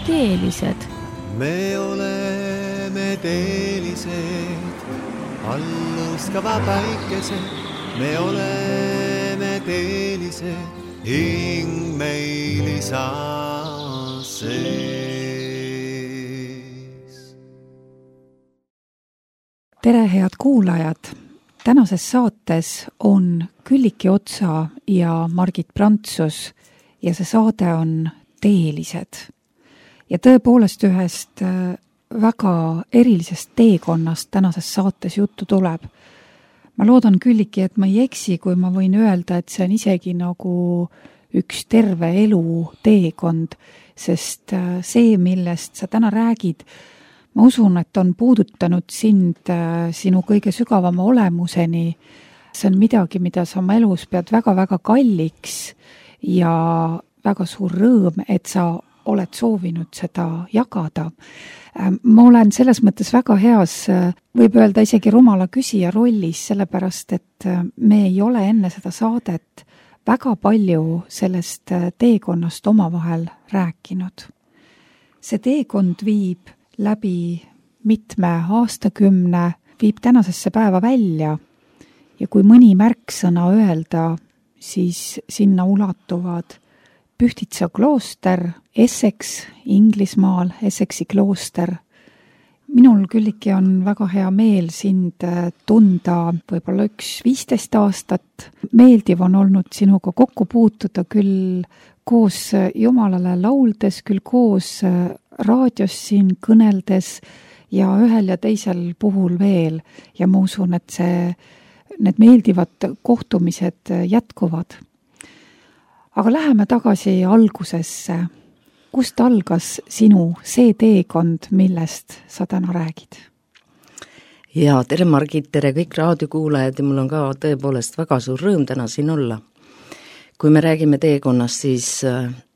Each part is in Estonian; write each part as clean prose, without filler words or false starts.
teelised. Me oleme teelised, alluskava päikesed. Me oleme teelised, hing meil isa sees. Tere, head kuulajad! Tänases saates on Külliki Otsa ja Margit Prantsus ja see saade on Teelised. Ja tõepoolest ühest väga erilisest teekonnast tänases saates juttu tuleb. Ma loodan, Külliki, et ma ei eksi, kui ma võin öelda, et see on isegi nagu üks terve elu teekond, sest see, millest sa täna räägid, ma usun, et on puudutanud sind sinu kõige sügavama olemuseni. See on midagi, mida sa oma elus pead väga-väga kalliks ja väga suur rõõm, et sa oled soovinud seda jagada. Ma olen selles mõttes väga heas, võib öelda isegi rumala küsija rollis, sellepärast, et me ei ole enne seda saadet väga palju sellest teekonnast omavahel rääkinud. See teekond viib läbi mitme aastakümne, viib tänasesse päeva välja ja kui mõni märksõna öelda, siis sinna ulatuvad Pühtitsa klooster, Essex, Inglismaal, Essexi klooster. Minul, Külliki, on väga hea meel sind tunda võib-olla 15 aastat. Meeldiv on olnud sinuga kokku puutuda küll koos Jumalale lauldes, küll koos raadios siin kõneldes ja ühel ja teisel puhul veel. Ja ma usun, et need meeldivad kohtumised jätkuvad. Aga läheme tagasi algusesse. Kust algas sinu see teekond, millest sa täna räägid? Ja, tere Margit, tere kõik raadiokuulajad ja mul on ka tõepoolest väga suur rõõm täna siin olla. Kui me räägime teekonnast, siis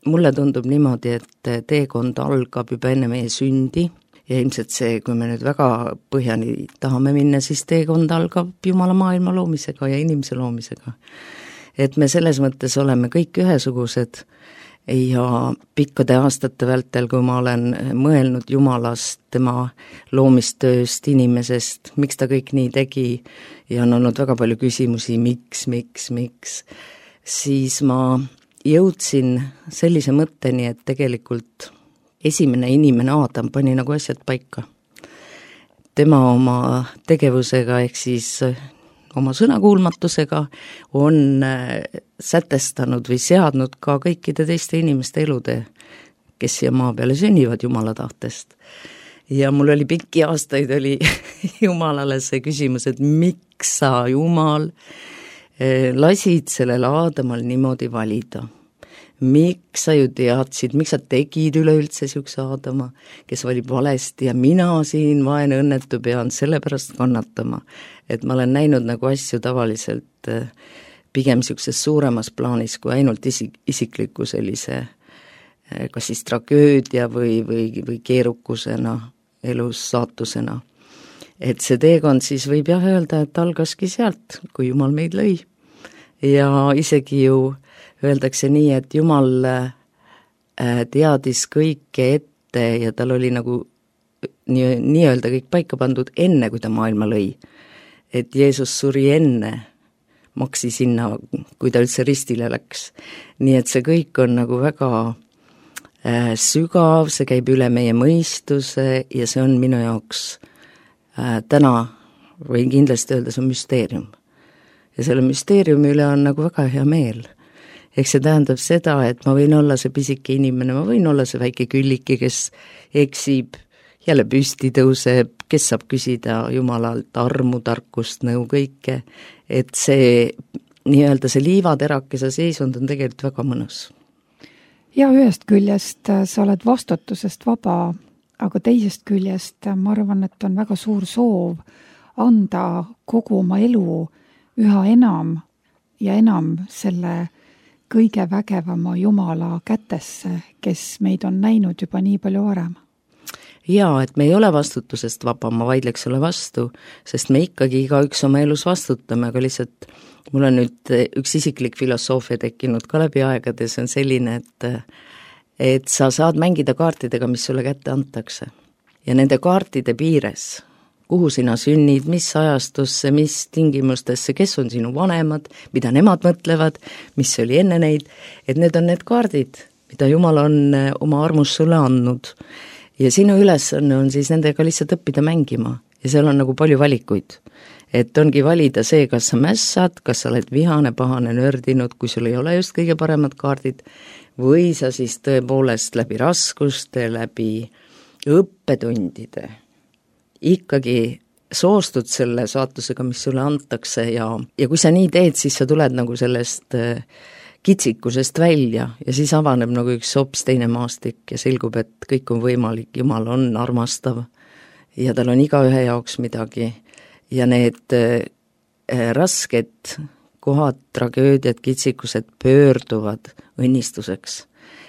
mulle tundub niimoodi, et teekond algab juba enne meie sündi ja ilmselt see, kui me nüüd väga põhjani tahame minna, siis teekond algab Jumala maailma loomisega ja inimese loomisega. Et me selles mõttes oleme kõik ühesugused ja pikkade aastate vältel, kui ma olen mõelnud Jumalast, tema loomistööst, inimesest, miks ta kõik nii tegi ja on olnud väga palju küsimusi, miks, siis ma jõudsin sellise mõtteni, et tegelikult esimene inimene Aadam pani nagu asjad paika. Tema oma tegevusega ehk siis oma sõnakuulmatusega on sätestanud või seadnud ka kõikide teiste inimeste elude, kes siia maa peale sünnivad Jumala tahtest. Ja mul oli pikki aastaid oli Jumalale see küsimus, et miks sa, Jumal, lasid sellel Aadamal niimoodi valida. Miks sa ju teadsid, miks sa tegid üleüldse siukse Aadama, kes valib valesti ja mina siin vaene õnnetu pean sellepärast kannatama. Et ma olen näinud nagu asju tavaliselt pigem siukses suuremas plaanis kui ainult isikliku sellise kas siis tragöödia või keerukusena, elus saatusena. Et see teekond siis võib jah öelda, et algaski sealt, kui Jumal meid lõi. Ja isegi ju öeldakse nii, et Jumal teadis kõike ette ja tal oli nagu nii öelda kõik paika pandud enne, kui ta maailma lõi. Et Jeesus suri enne, maksi sinna, kui ta üldse ristile läks. Nii et see kõik on nagu väga sügav, see käib üle meie mõistuse ja see on minu jaoks täna võin kindlasti öelda, see on müsteerium. Ja selle müsteeriumi üle on nagu väga hea meel. Ehk see tähendab seda, et ma võin olla see pisike inimene, ma võin olla see väike Külliki, kes eksib, jälle püsti tõuseb, kes saab küsida Jumalalt armu, tarkust, nõu kõike. Et see nii-öelda see liivaterakese seisund on tegelikult väga mõnus. Ja ühest küljest sa oled vastutusest vaba, aga teisest küljest ma arvan, et on väga suur soov anda kogu oma elu üha enam ja enam selle kõige vägevama Jumala kätesse, kes meid on näinud juba nii palju varem. Jaa, et me ei ole vastutusest vaba, ma vaidleks ole vastu, sest me ikkagi igaüks oma elus vastutame, aga lihtsalt mul on nüüd üks isiklik filosoofia tekkinud ka läbi aegade, see on selline, et sa saad mängida kaartidega, mis sulle kätte antakse. Ja nende kaartide piires, kuhu sina sünnid, mis ajastusse, mis tingimustesse, kes on sinu vanemad, mida nemad mõtlevad, mis oli enne neid, et need on need kaardid, mida Jumal on oma armus sulle andnud. Ja sinu ülesanne on siis nendega lihtsalt õppida mängima ja seal on nagu palju valikuid. Et ongi valida see, kas sa mässad, kas sa oled vihane, pahane, nördinud, kui sul ei ole just kõige paremad kaardid, või sa siis tõepoolest läbi raskuste, läbi õppetundide ikkagi soostud selle saatusega, mis sulle antakse ja kui sa nii teed, siis sa tuled nagu sellest kitsikusest välja ja siis avaneb nagu üks hoopis teine maastik ja selgub, et kõik on võimalik, Jumal on armastav ja tal on igaühe jaoks midagi ja need rasked kohad, tragöödiad, kitsikused pöörduvad õnnistuseks.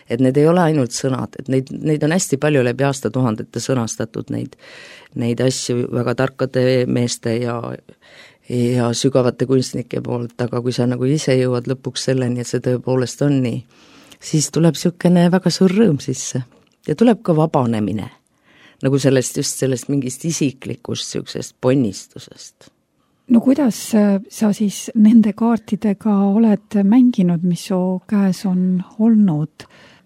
Et need ei ole ainult sõnad, et neid on hästi palju läbi aastatuhandete sõnastatud neid asju väga tarkade meeste ja sügavate kunstnike poolt, aga kui sa nagu ise jõuad lõpuks selleni, et see tõepoolest on nii, siis tuleb niisugune väga suur rõõm sisse ja tuleb ka vabanemine, nagu sellest mingist isiklikust niisugusest ponnistusest. No kuidas sa siis nende kaartidega oled mänginud, mis su käes on olnud?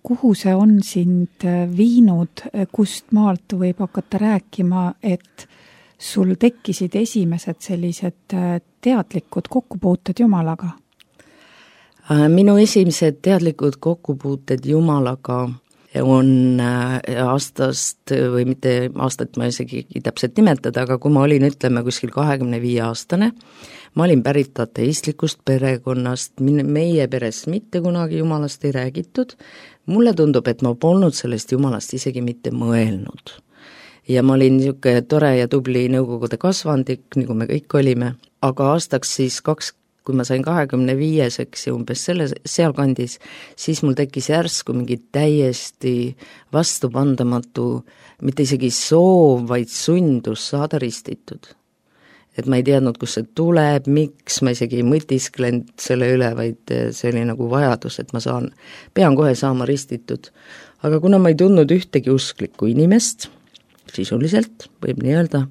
Kuhu see on sind viinud, kust maalt võib hakata rääkima, et sul tekkisid esimesed sellised teadlikud kokkupuuted Jumalaga? Minu esimesed teadlikud kokkupuuted Jumalaga on aastast või mitte aastat ma isegi täpselt nimetada, aga kui ma olin, ütleme, kuskil 25-aastane, ma olin pärit ateistlikust perekonnast, meie peres mitte kunagi Jumalast ei räägitud, mulle tundub, et ma polnud sellest Jumalast isegi mitte mõelnud. Ja ma olin niisugune tore ja tubli nõukogude kasvandik, nagu me kõik olime, aga aastaks siis kui ma sain 25-seks ja umbes sealkandis, siis mul tekkis järsku mingi täiesti vastupandamatu, mitte isegi soov, vaid sundus saada ristitud. Et ma ei teadnud, kus see tuleb, miks, ma isegi ei mõtisklenud selle üle, vaid see oli nagu vajadus, et ma pean kohe saama ristitud. Aga kuna ma ei tundnud ühtegi usklikku inimest, sisuliselt võib nii öelda,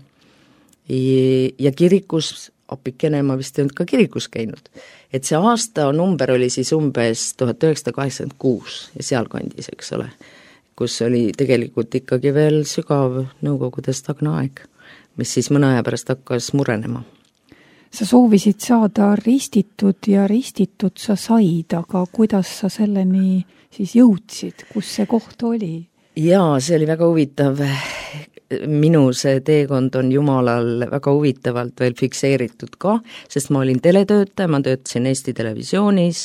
ja kirikus apikene, ma vist ei olnud ka kirikus käinud. Et see aasta number oli siis umbes 1986 ja sealkandis, eks ole, kus oli tegelikult ikkagi veel sügav nõukogude stagne aeg, mis siis mõne aja pärast hakkas murenema. Sa soovisid saada ristitud ja ristitud sa said, aga kuidas sa selleni siis jõudsid, kus see koht oli? Jaa, see oli väga huvitav. Minu see teekond on Jumalal väga huvitavalt veel fikseeritud ka, sest ma olin teletöötaja, ma töötasin Eesti Televisioonis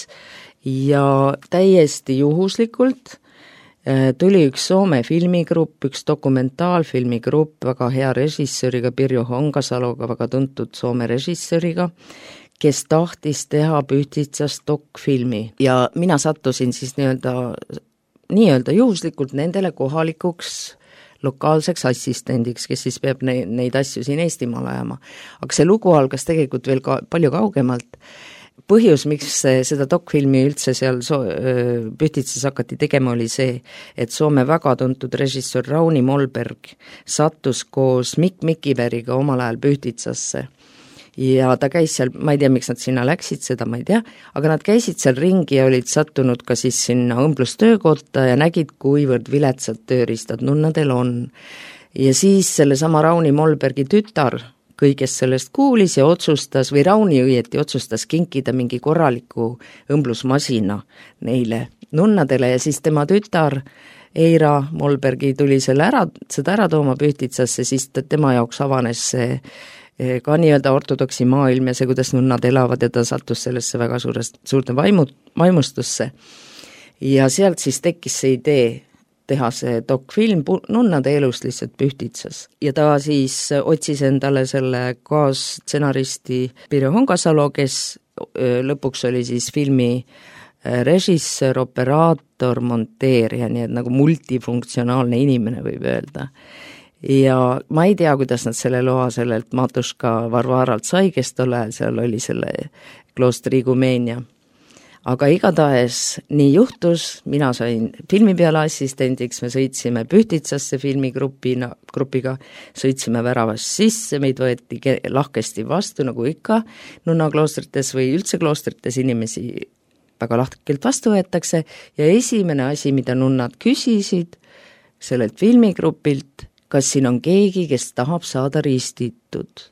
ja täiesti juhuslikult tuli üks Soome filmigrupp, üks dokumentaalfilmigrupp, väga hea režissööriga, Pirjo Hongasaloga, väga tuntud Soome režissööriga, kes tahtis teha Pühtitsast dokfilmi ja mina sattusin siis nii-öelda juhuslikult nendele kohalikuks lokaalseks assistendiks, kes siis peab neid asju siin Eestimaal ajama. Aga see lugu algas tegelikult veel palju kaugemalt. Põhjus, miks seda dokfilmi üldse seal Pühtitsas hakati tegema, oli see, et Soome väga tuntud režissöör Rauni Molberg sattus koos Mikk Mikiveriga omal ajal Pühtitsasse. Ja ta käis seal, ma ei tea, miks nad sinna läksid, seda ma ei tea, aga nad käisid seal ringi ja olid sattunud ka siis sinna õmblustöökotta ja nägid, kuivõrd viletsad tööriistad nunnadel on. Ja siis sellesama Rauni Molbergi tütar kõigest sellest kuulis ja otsustas, või Rauni õieti otsustas kinkida mingi korraliku õmblusmasina neile nunnadele ja siis tema tütar Eira Molbergi tuli seda ära tooma Pühtitsasse, siis tema jaoks avanes see ka nii-öelda ortodoksi maailm ja see, kuidas nunnad elavad ja ta sattus sellesse väga suurde vaimustusse. Ja sealt siis tekkis see idee teha see dokfilm nunnade elust lihtsalt Pühtitsas. Ja ta siis otsis endale selle kaasstsenaristi Pirjo Hongasalo, kes lõpuks oli siis filmi režissöör, operaator, monteerija, nii et nagu multifunktsionaalne inimene võib öelda. Ja ma ei tea, kuidas nad selle loa sellelt Matuška Varvaralt sai, kes tol ajal seal oli selle kloostri igumeenia. aga igatahes nii juhtus, mina sain filmi peale assistendiks, me sõitsime Pühtitsasse filmigrupiga, sõitsime väravast sisse, meid võeti lahkesti vastu, nagu ikka nunnakloostrites või üldse kloostrites inimesi väga lahkelt vastu võetakse ja esimene asi, mida nunnad küsisid sellelt filmigrupilt, kas siin on keegi, kes tahab saada ristitud.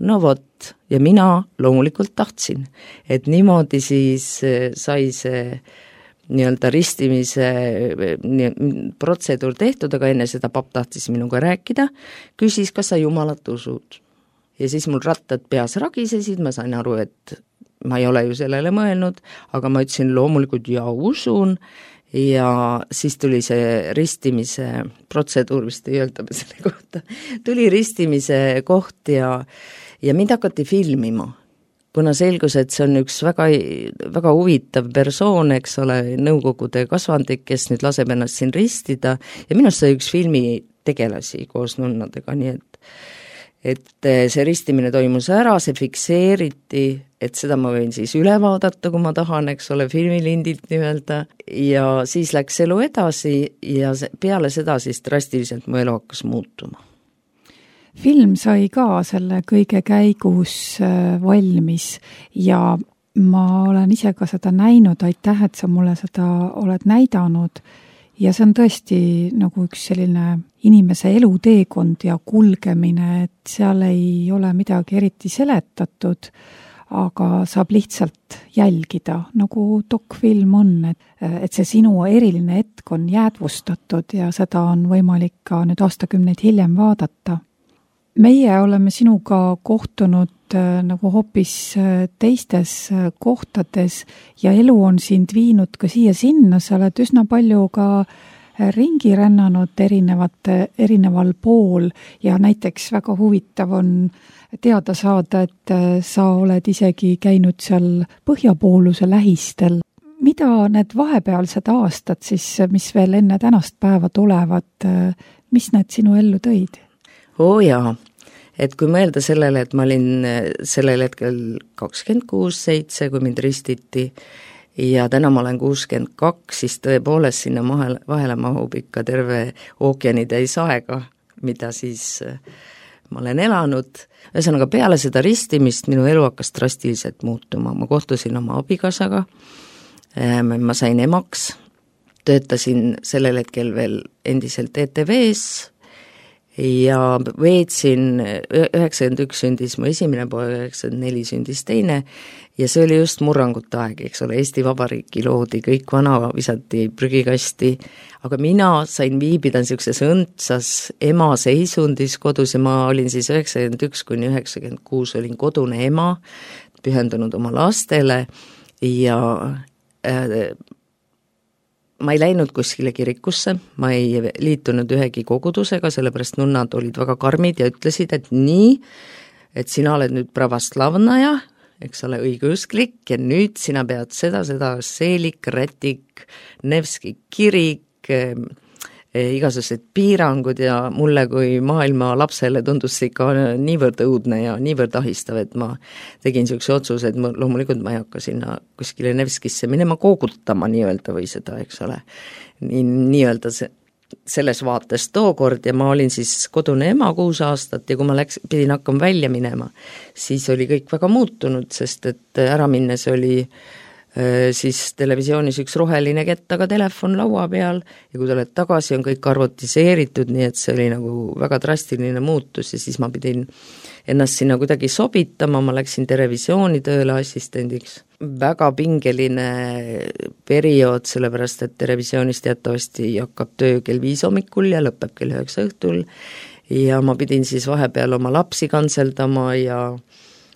No vot, ja mina loomulikult tahtsin, et niimoodi siis sai see nii-öelda ristimise protseduur tehtud, aga enne seda papp tahtis minuga rääkida, küsis, kas sa Jumalat usud. Ja siis mul rattad peas ragisesid, ma sain aru, et ma ei ole ju sellele mõelnud, aga ma ütlesin loomulikult ja usun, ja siis tuli see ristimise protseduur, vist ei öelda selle kohta, tuli ristimise koht ja mind hakati filmima, kuna selgus, et see on üks väga, väga huvitav persoon, eks ole, nõukogude kasvandik, kes nüüd laseb ennast siin ristida ja minust sai üks filmi tegelasi koos nunnadega, nii et see ristimine toimus ära, see fikseeriti, et seda ma võin siis üle vaadata, kui ma tahan, eks ole, filmilindilt nii-öelda, ja siis läks elu edasi ja peale seda siis drastiliselt mu elu hakkas muutuma. Film sai ka selle kõige käigus valmis ja ma olen ise ka seda näinud, aitäh, et sa mulle seda oled näidanud ja see on tõesti nagu üks selline inimese eluteekond ja kulgemine, et seal ei ole midagi eriti seletatud, aga saab lihtsalt jälgida, nagu dokfilm on, et see sinu eriline hetk on jäädvustatud ja seda on võimalik ka nüüd aastakümneid hiljem vaadata. Meie oleme sinuga kohtunud nagu hoopis teistes kohtades ja elu on sind viinud ka siia-sinna, sa oled üsna palju ka ringi rännanud erineval pool ja näiteks väga huvitav on teada saada, et sa oled isegi käinud seal põhjapooluse lähistel. Mida need vahepealsed aastad siis, mis veel enne tänast päeva tulevad, mis need sinu ellu tõid? Jaa, et kui mõelda sellele, et ma olin sellel hetkel 26-7, kui mind ristiti ja täna ma olen 62, siis tõepoolest sinna vahele mahub ikka terve ookeanitäis aega, mida siis ma olen elanud. Ühesõnaga peale seda ristimist minu elu hakkas drastiliselt muutuma, ma kohtusin oma abikaasaga, ma sain emaks, töötasin sellel hetkel veel endiselt ETV-s, ja veetsin 91 sündis mu esimene poeg, 94 sündis teine ja see oli just murrangute aeg, eks ole, Eesti Vabariiki loodi, kõik vana visati prügikasti, aga mina sain viibida niisuguses õndsas ema seisundis kodus ja ma olin siis 91-96 olin kodune ema, pühendunud oma lastele ja ma ei läinud kuskile kirikusse, ma ei liitunud ühegi kogudusega, sellepärast nunnad olid väga karmid ja ütlesid, et nii, et sina oled nüüd pravoslavnaja, eks ole, õigeusklik ja nüüd sina pead seda, seelik, rätik, Nevski kirik, igasugused piirangud ja mulle kui maailma lapsele tundus see ikka niivõrd õudne ja niivõrd ahistav, et ma tegin niisuguse otsuse, et loomulikult ma ei hakka sinna kuskile Nevskisse minema koogutama nii-öelda või seda, eks ole, nii-öelda selles vaates tookord ja ma olin siis kodune ema 6 aastat ja kui ma pidin hakkama välja minema, siis oli kõik väga muutunud, sest et ära minnes oli siis televisioonis üks roheline kettaga telefon laua peal ja kui tuled tagasi, on kõik arvutiseeritud, nii et see oli nagu väga drastiline muutus ja siis ma pidin ennast sinna kuidagi sobitama, ma läksin televisiooni tööle assistendiks. Väga pingeline periood, sellepärast et televisioonis teatavasti hakkab töö kell 5 hommikul ja lõpeb kell 9 õhtul ja ma pidin siis vahepeal oma lapsi kantseldama ja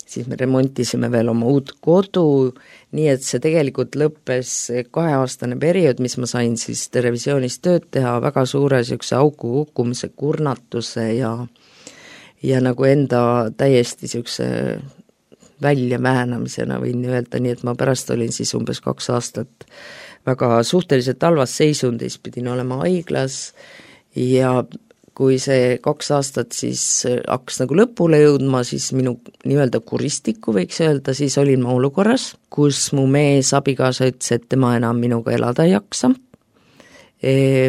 siis me remontisime veel oma uut kodu, nii et see tegelikult lõppes 2-aastane periood, mis ma sain siis televisioonis tööd teha väga suure niisuguse auku kukkumise, kurnatuse ja nagu enda täiesti niisuguse väljamäänamisena võin öelda, nii et ma pärast olin siis umbes 2 aastat väga suhteliselt halvas seisundis, pidin olema haiglas ja kui see 2 aastat siis hakkas nagu lõpule jõudma, siis minu nii-öelda kuristikku võiks öelda, siis olin ma olukorras, kus mu mees abikaasa ütles, et tema enam minuga elada ei jaksa.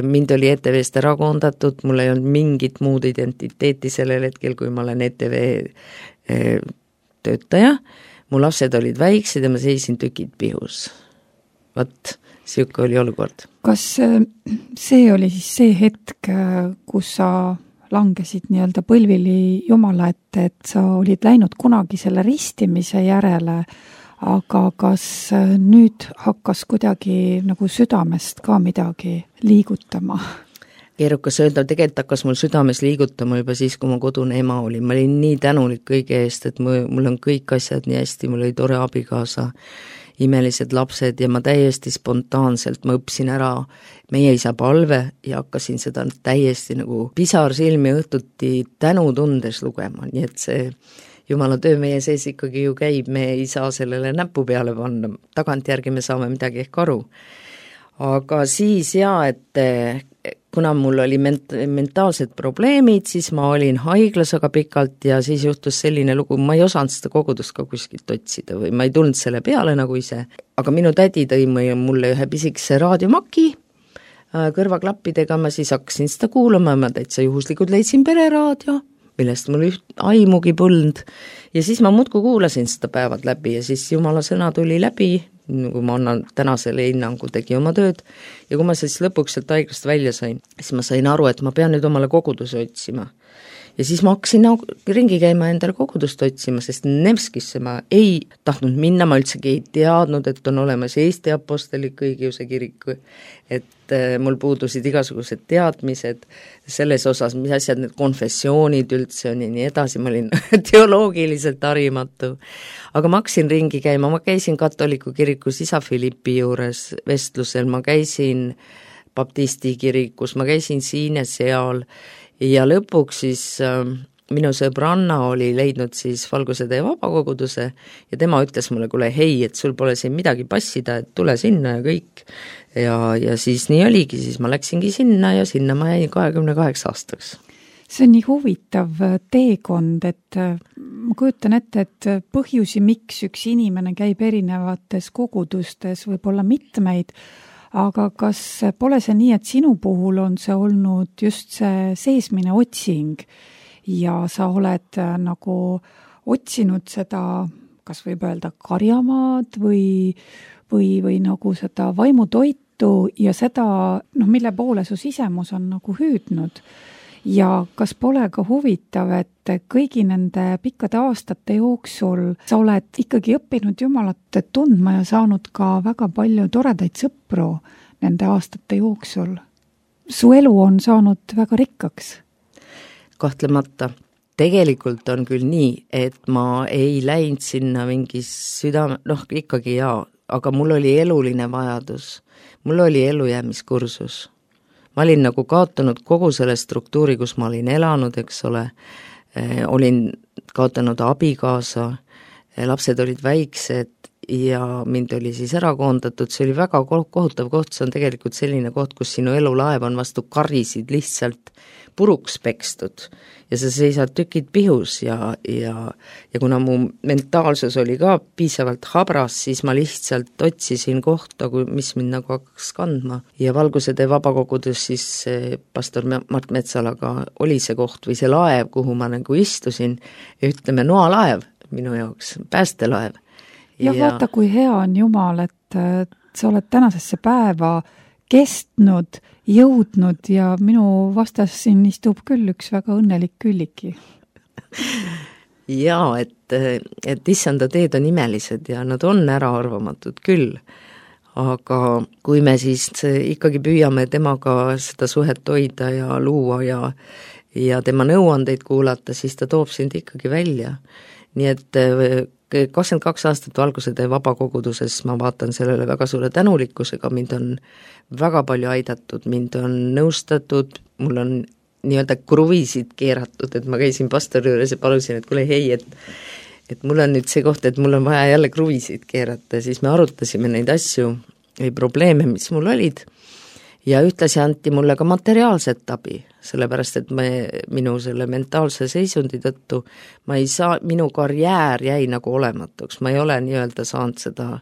Mind oli ETV-st ära koondatud, mul ei olnud mingit muud identiteeti sellel hetkel, kui ma olen ETV töötaja, mu lapsed olid väiksed ja ma seisin tükid pihus. Vot, siuke oli olukord. Kas see oli siis see hetk, kus sa langesid nii-öelda põlvili Jumala ette, et sa olid läinud kunagi selle ristimise järele, aga kas nüüd hakkas kuidagi nagu südamest ka midagi liigutama? Keerukas öelda, tegelikult hakkas mul südames liigutama juba siis, kui ma kodune ema olin. Ma olin nii tänulik kõige eest, et mul on kõik asjad nii hästi, mul oli tore abikaasa, imelised lapsed ja ma täiesti spontaanselt, ma õppisin ära meie isa palve ja hakkasin seda täiesti nagu pisar silmi õhtuti tänutundes lugema, nii et see Jumala töö meie sees ikkagi ju käib, me ei saa sellele näpu peale panna, tagantjärgi me saame midagi ehk aru. Aga siis et kuna mul oli mentaalsed probleemid, siis ma olin haiglas väga pikalt ja siis juhtus selline lugu, ma ei osanud seda kogudust ka kuskilt otsida või ma ei tulnud selle peale nagu ise, aga minu tädi tõi mulle ühe pisikese raadiomaki kõrvaklappidega, ma siis hakkasin seda kuulama, ma täitsa juhuslikult leidsin pereraadio, millest mul aimugi polnud ja siis ma muudkui kuulasin seda päevad läbi ja siis Jumala sõna tuli läbi, kui ma annan tänasele hinnangu, tegi oma tööd ja kui ma siis lõpuks sealt haiglast välja sain, siis ma sain aru, et ma pean nüüd omale koguduse otsima. Ja siis ma hakkasin ringi käima endale kogudust otsima, sest Nevskisse ma ei tahtnud minna, ma üldsegi ei teadnud, et on olemas Eesti Apostliku Õigeusu Kirik, et mul puudusid igasugused teadmised selles osas, mis asjad need konfessioonid üldse on ja nii edasi, ma olin teoloogiliselt harimatu. Aga ma hakkasin ringi käima, ma käisin katoliku kirikus isa Philippi juures vestlusel, ma käisin baptisti kirikus, ma käisin siin ja seal ja lõpuks siis minu sõbranna oli leidnud siis Valguse Tee vabakoguduse ja tema ütles mulle, kuule hei, et sul pole siin midagi passida, et tule sinna ja kõik. Ja siis nii oligi, siis ma läksingi sinna ja sinna ma jäin 28 aastaks. See on nii huvitav teekond, et ma kujutan ette, et põhjusi, miks üks inimene käib erinevates kogudustes, võib olla mitmeid, aga kas pole see nii, et sinu puhul on see olnud just see seesmine otsing ja sa oled nagu otsinud seda, kas võib öelda karjamaad või nagu seda vaimutoitu ja seda, mille poole su sisemus on nagu hüüdnud. Ja kas pole ka huvitav, et kõigi nende pikkade aastate jooksul sa oled ikkagi õppinud Jumalat tundma ja saanud ka väga palju toredaid sõpru nende aastate jooksul? Su elu on saanud väga rikkaks. Kahtlemata. Tegelikult on küll nii, et ma ei läinud sinna mingi südame, ikkagi jaa, aga mul oli eluline vajadus. Mul oli elujäämiskursus. Ma olin nagu kaotanud kogu selle struktuuri, kus ma olin elanud, eks ole, olin kaotanud abikaasa, lapsed olid väiksed ja mind oli siis ära koondatud, see oli väga kohutav koht, see on tegelikult selline koht, kus sinu elulaev on vastu karisid lihtsalt puruks pekstud ja sa seisad tükid pihus ja kuna mu mentaalsus oli ka piisavalt habras, siis ma lihtsalt otsisin kohta, mis mind nagu hakkas kandma ja Valguse Tee vabakogudus siis pastor Mart Metsalaga oli see koht või see laev, kuhu ma nagu istusin, ütleme noalaev minu jaoks, päästelaev. Ja vaata, kui hea on Jumal, et sa oled tänasesse päeva kestnud, jõudnud ja minu vastas siin istub küll üks väga õnnelik Külliki. Jaa, et issanda teed on imelised ja nad on äraarvamatud küll, aga kui me siis ikkagi püüame temaga seda suhet hoida ja luua ja tema nõuandeid kuulata, siis ta toob sind ikkagi välja. Nii et 22 aastat Valguse Tee vabakoguduses ma vaatan sellele väga suure tänulikkusega, mind on väga palju aidatud, mind on nõustatud, mul on nii-öelda kruvisid keeratud, et ma käisin pastori juures ja palusin, et kuule hei, et mul on nüüd see koht, et mul on vaja jälle kruvisid keerata, siis me arutasime neid asju või probleeme, mis mul olid ja ühtlasi anti mulle ka materiaalset abi, sellepärast et minu selle mentaalse seisundi tõttu minu karjäär jäi nagu olematuks, ma ei ole nii-öelda saanud seda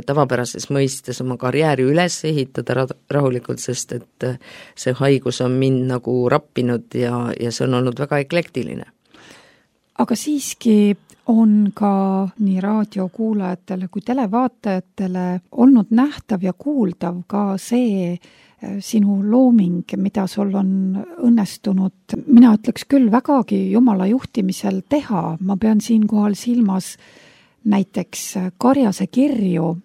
tavapärases mõistes oma karjääri üles ehitada rahulikult, sest et see haigus on mind nagu rappinud ja see on olnud väga eklektiline. Aga siiski on ka nii raadiokuulajatele kui televaatajatele olnud nähtav ja kuuldav ka see sinu looming, mida sul on õnnestunud, mina ütleks küll vägagi Jumala juhtimisel teha. Ma pean siinkohal silmas näiteks Karjase kirju,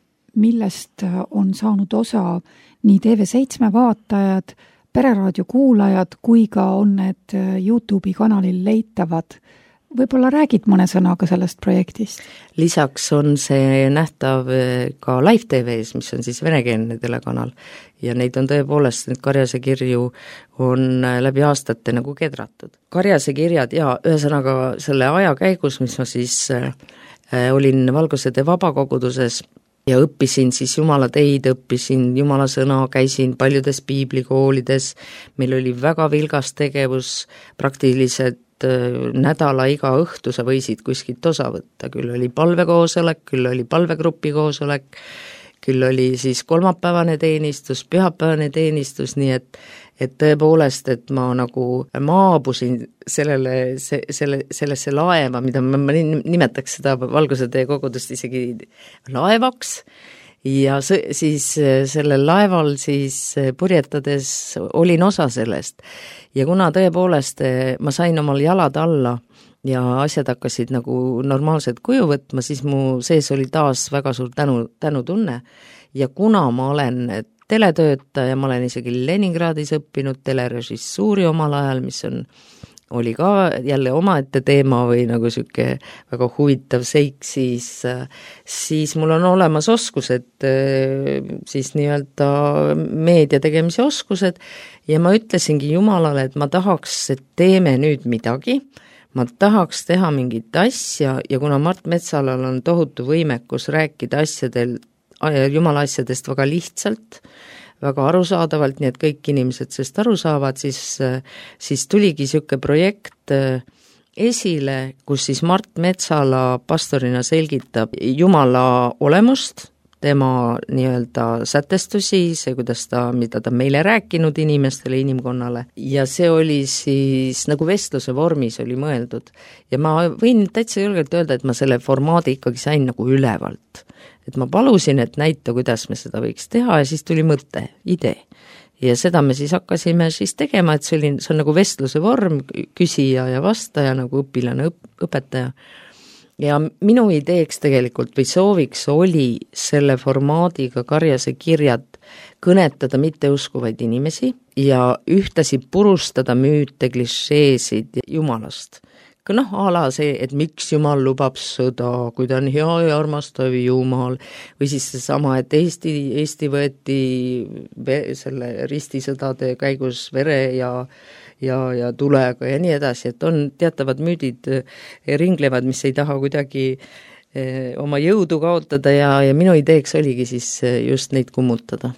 millest on saanud osa nii TV7 vaatajad, Pereraadio kuulajad kui ka on need YouTube'i kanalil leitavad. Võib-olla räägid mõne sõnaga sellest projektist? Lisaks on see nähtav ka Live TV-s, mis on siis venekeelne telekanal ja neid on tõepoolest, need Karjase kirju on läbi aastate nagu kedratud. Karjase kirjad ja ühesõnaga selle aja käigus, mis ma siis olin Valguse Tee vabakoguduses ja õppisin siis Jumala teid, õppisin Jumala sõna, käisin paljudes piiblikoolides, meil oli väga vilgas tegevus, praktiliselt nädala iga õhtu sa võisid kuskilt osa võtta, küll oli palvekoosolek, küll oli palvegrupi koosolek, küll oli siis kolmapäevane teenistus, pühapäevane teenistus, nii et tõepoolest, et ma nagu maabusin sellesse laeva, mida ma nimetaks seda Valguse Tee kogudust isegi laevaks, ja siis sellel laeval siis purjetades olin osa sellest ja kuna tõepoolest ma sain omal jalad alla ja asjad hakkasid nagu normaalset kuju võtma, siis mu sees oli taas väga suur tänutunne ja kuna ma olen teletöötaja, ma olen isegi Leningradis õppinud telerežissuuri omal ajal, mis oli ka jälle omaette teema või nagu siuke väga huvitav seik, siis mul on olemas oskused, siis nii-öelda meedia tegemise oskused ja ma ütlesingi Jumalale, et ma tahaks, et teeme nüüd midagi, ma tahaks teha mingit asja ja kuna Mart Metsalal on tohutu võimekus rääkida Jumala asjadest väga lihtsalt, väga arusaadavalt, nii et kõik inimesed sellest aru saavad, siis tuligi siuke projekt esile, kus siis Mart Metsala pastorina selgitab Jumala olemust, tema nii-öelda sätestusi, see, mida ta meile rääkinud inimestele, inimkonnale ja see oli siis nagu vestluse vormis oli mõeldud ja ma võin täitsa julgelt öelda, et ma selle formaadi ikkagi sain nagu ülevalt. Et ma palusin, et näita, kuidas me seda võiks teha ja siis tuli mõte, idee. Ja seda me siis hakkasime siis tegema, et see on nagu vestluse vorm, küsija ja vastaja, nagu õpilane, õpetaja. Ja minu ideeks tegelikult või sooviks oli selle formaadiga Karjase kirjad kõnetada mitteuskuvaid inimesi ja ühtasi purustada müüte, klišeesid Jumalast. A la see, et miks Jumal lubab sõda, kui ta on hea ja armastav Jumal, või siis seesama, et Eesti võeti selle ristisõdade käigus vere ja tulega ja nii edasi, et on teatavad müüdid ringlevad, mis ei taha kuidagi oma jõudu kaotada ja minu ideeks oligi siis just neid kummutada.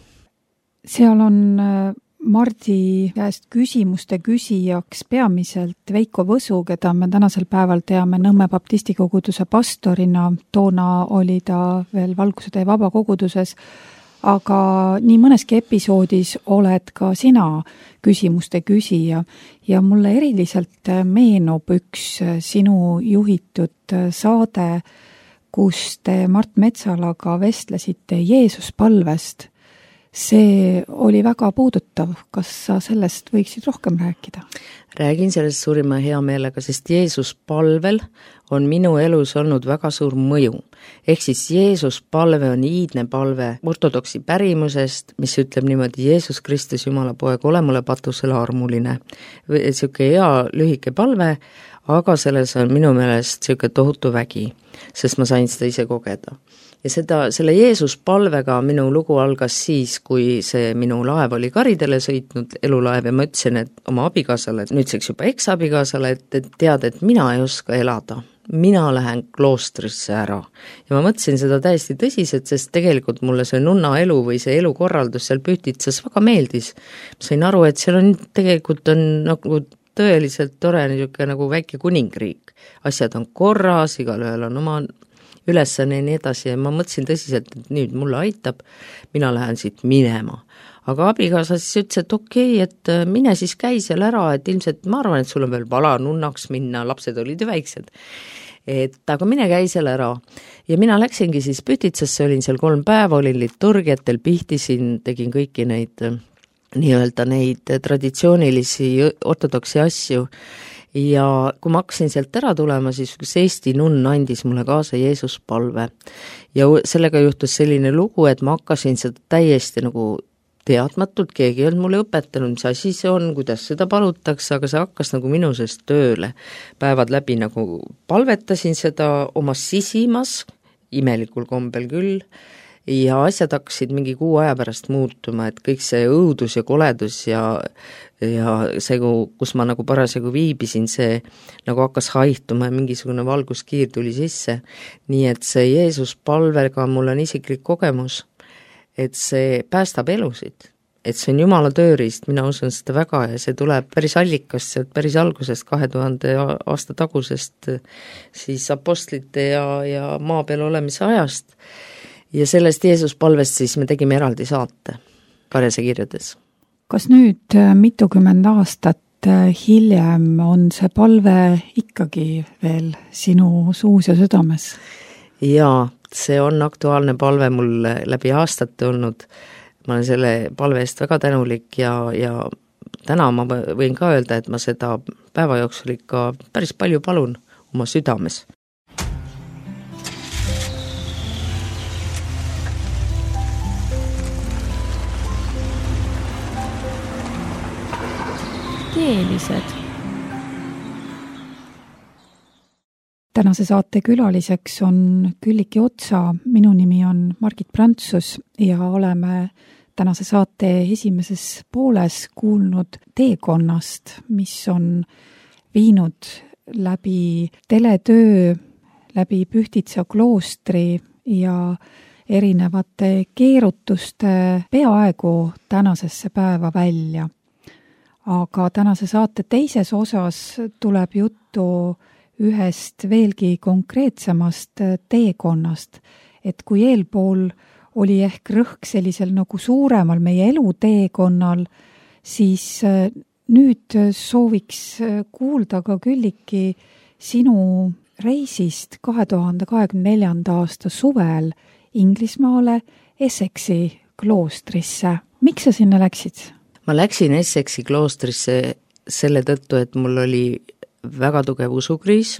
Seal on Mardi käest küsimuste küsijaks peamiselt Veiko Võsu, keda me tänasel päeval teame Nõmme baptistikoguduse pastorina, toona oli ta veel Valguse Tee vabakoguduses, aga nii mõneski episoodis oled ka sina küsimuste küsija ja mulle eriliselt meenub üks sinu juhitud saade, kus te Mart Metsalaga vestlesite Jeesuspalvest. See oli väga puudutav. Kas sa sellest võiksid rohkem rääkida? Räägin sellest suurima hea meelega, sest Jeesuspalvel on minu elus olnud väga suur mõju. Ehk siis Jeesuspalve on iidne palve ortodoksi pärimusest, mis ütleb niimoodi Jeesus Kristus, Jumala poeg, ole mulle patusele armuline. Siuke hea lühike palve, aga selles on minu meelest siuke tohutu vägi, sest ma sain seda ise kogeda. Ja selle Jeesuspalvega minu lugu algas siis, kui see minu laev oli karidele sõitnud, elulaev, ja ma ütlesin, et oma abikaasale, nüüdseks juba eks-abikaasale, et tead, et mina ei oska elada. mina lähen kloostrisse ära. Ja ma mõtlesin seda täiesti tõsiselt, sest tegelikult mulle see nunna elu või see elukorraldus seal Pühtitsas väga meeldis. Ma sain aru, et seal on tegelikult on nagu tõeliselt tore niisugune nagu väike kuningriik. Asjad on korras, igalühel on oma ülesanne ja nii edasi ja ma mõtlesin tõsiselt, et nüüd mulle aitab, mina lähen siit minema. Aga abikaasa siis ütles, et okei, et mine siis käi seal ära, et ilmselt ma arvan, et sul on veel vala nunnaks minna, lapsed olid ju väiksed. Aga mine käi seal ära. Ja mina läksingi siis Pühtitsasse, olin seal 3 päeva, olin liturgiatel, pihtisin, tegin kõiki neid nii-öelda neid traditsioonilisi ortodoksi asju. Ja kui ma hakkasin sealt ära tulema, siis üks Eesti nunn andis mulle kaasa Jeesus palve. Ja sellega juhtus selline lugu, et ma hakkasin seda täiesti nagu teadmatult, keegi ei olnud mulle õpetanud, mis asi see on, kuidas seda palutakse, aga see hakkas nagu minu seest tööle. Päevad läbi nagu palvetasin seda oma sisimas, imelikul kombel küll, ja asjad hakkasid mingi 6 aja pärast muutuma, et kõik see õudus ja koledus ja see, kus ma nagu parasjagu viibisin, see nagu hakkas haihtuma ja mingisugune valguskiir tuli sisse. Nii et see Jeesus palvega mul on isiklik kogemus, et see päästab elusid, et see on Jumala tööriist, mina usun seda väga ja see tuleb päris allikast, sealt päris algusest 2000 aasta tagusest siis apostlite ja maa peal olemise ajast. Ja sellest Jeesus palvest siis me tegime eraldi saate Karjase kirjades. Kas nüüd mitukümmend aastat hiljem on see palve ikkagi veel sinu suus ja südames? Jaa, see on aktuaalne palve mul läbi aastate olnud. Ma olen selle palve eest väga tänulik ja täna ma võin ka öelda, et ma seda päeva jooksul ikka päris palju palun oma südames. Keelised. Tänase saate külaliseks on Külliki Otsa, minu nimi on Margit Prantsus ja oleme tänase saate esimeses pooles kuulnud teekonnast, mis on viinud läbi teletöö, läbi Pühtitsa kloostri ja erinevate keerutuste peaaegu tänasesse päeva välja. Aga tänase saate teises osas tuleb juttu ühest veelgi konkreetsemast teekonnast, et kui eelpool oli ehk rõhk sellisel nagu suuremal meie eluteekonnal, siis nüüd sooviks kuulda ka Külliki sinu reisist 2024. aasta suvel Inglismaale Essexi kloostrisse. Miks sa sinna läksid? Ma läksin Essexi kloostrisse selle tõttu, et mul oli väga tugev usukriis,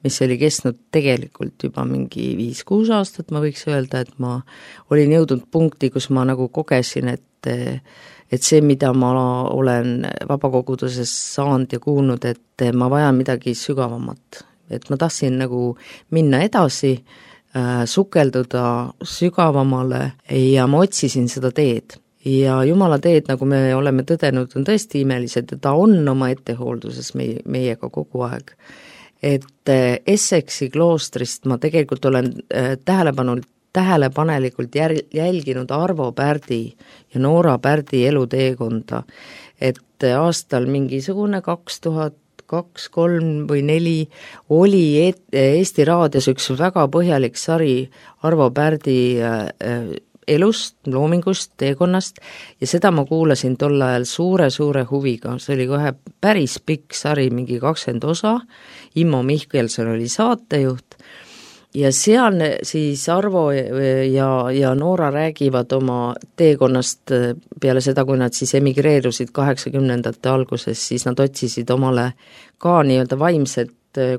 mis oli kestnud tegelikult juba mingi 5-6 aastat, ma võiks öelda, et ma olin jõudnud punkti, kus ma nagu kogesin, et see, mida ma olen vabakoguduses saanud ja kuulnud, et ma vajan midagi sügavamat. Et ma tahtsin nagu minna edasi, sukelduda sügavamale ja ma otsisin seda teed. Ja Jumala teed, nagu me oleme tõdenud, on tõesti imelised ja ta on oma ettehoolduses meiega kogu aeg. Et Essexi kloostrist ma tegelikult olen tähelepanelikult jälginud Arvo Pärdi ja Noora Pärdi eluteekonda, et aastal mingisugune 2002, 2003 või 2004 oli Eesti raadios üks väga põhjalik sari Arvo Pärdi elust, loomingust, teekonnast ja seda ma kuulasin tol ajal suure huviga, see oli kohe päris pikk sari, mingi 20 osa, Immo Mihkelson oli saatejuht ja seal siis Arvo ja Noora räägivad oma teekonnast peale seda, kui nad siis emigreerusid 80ndate alguses, siis nad otsisid omale ka nii-öelda vaimset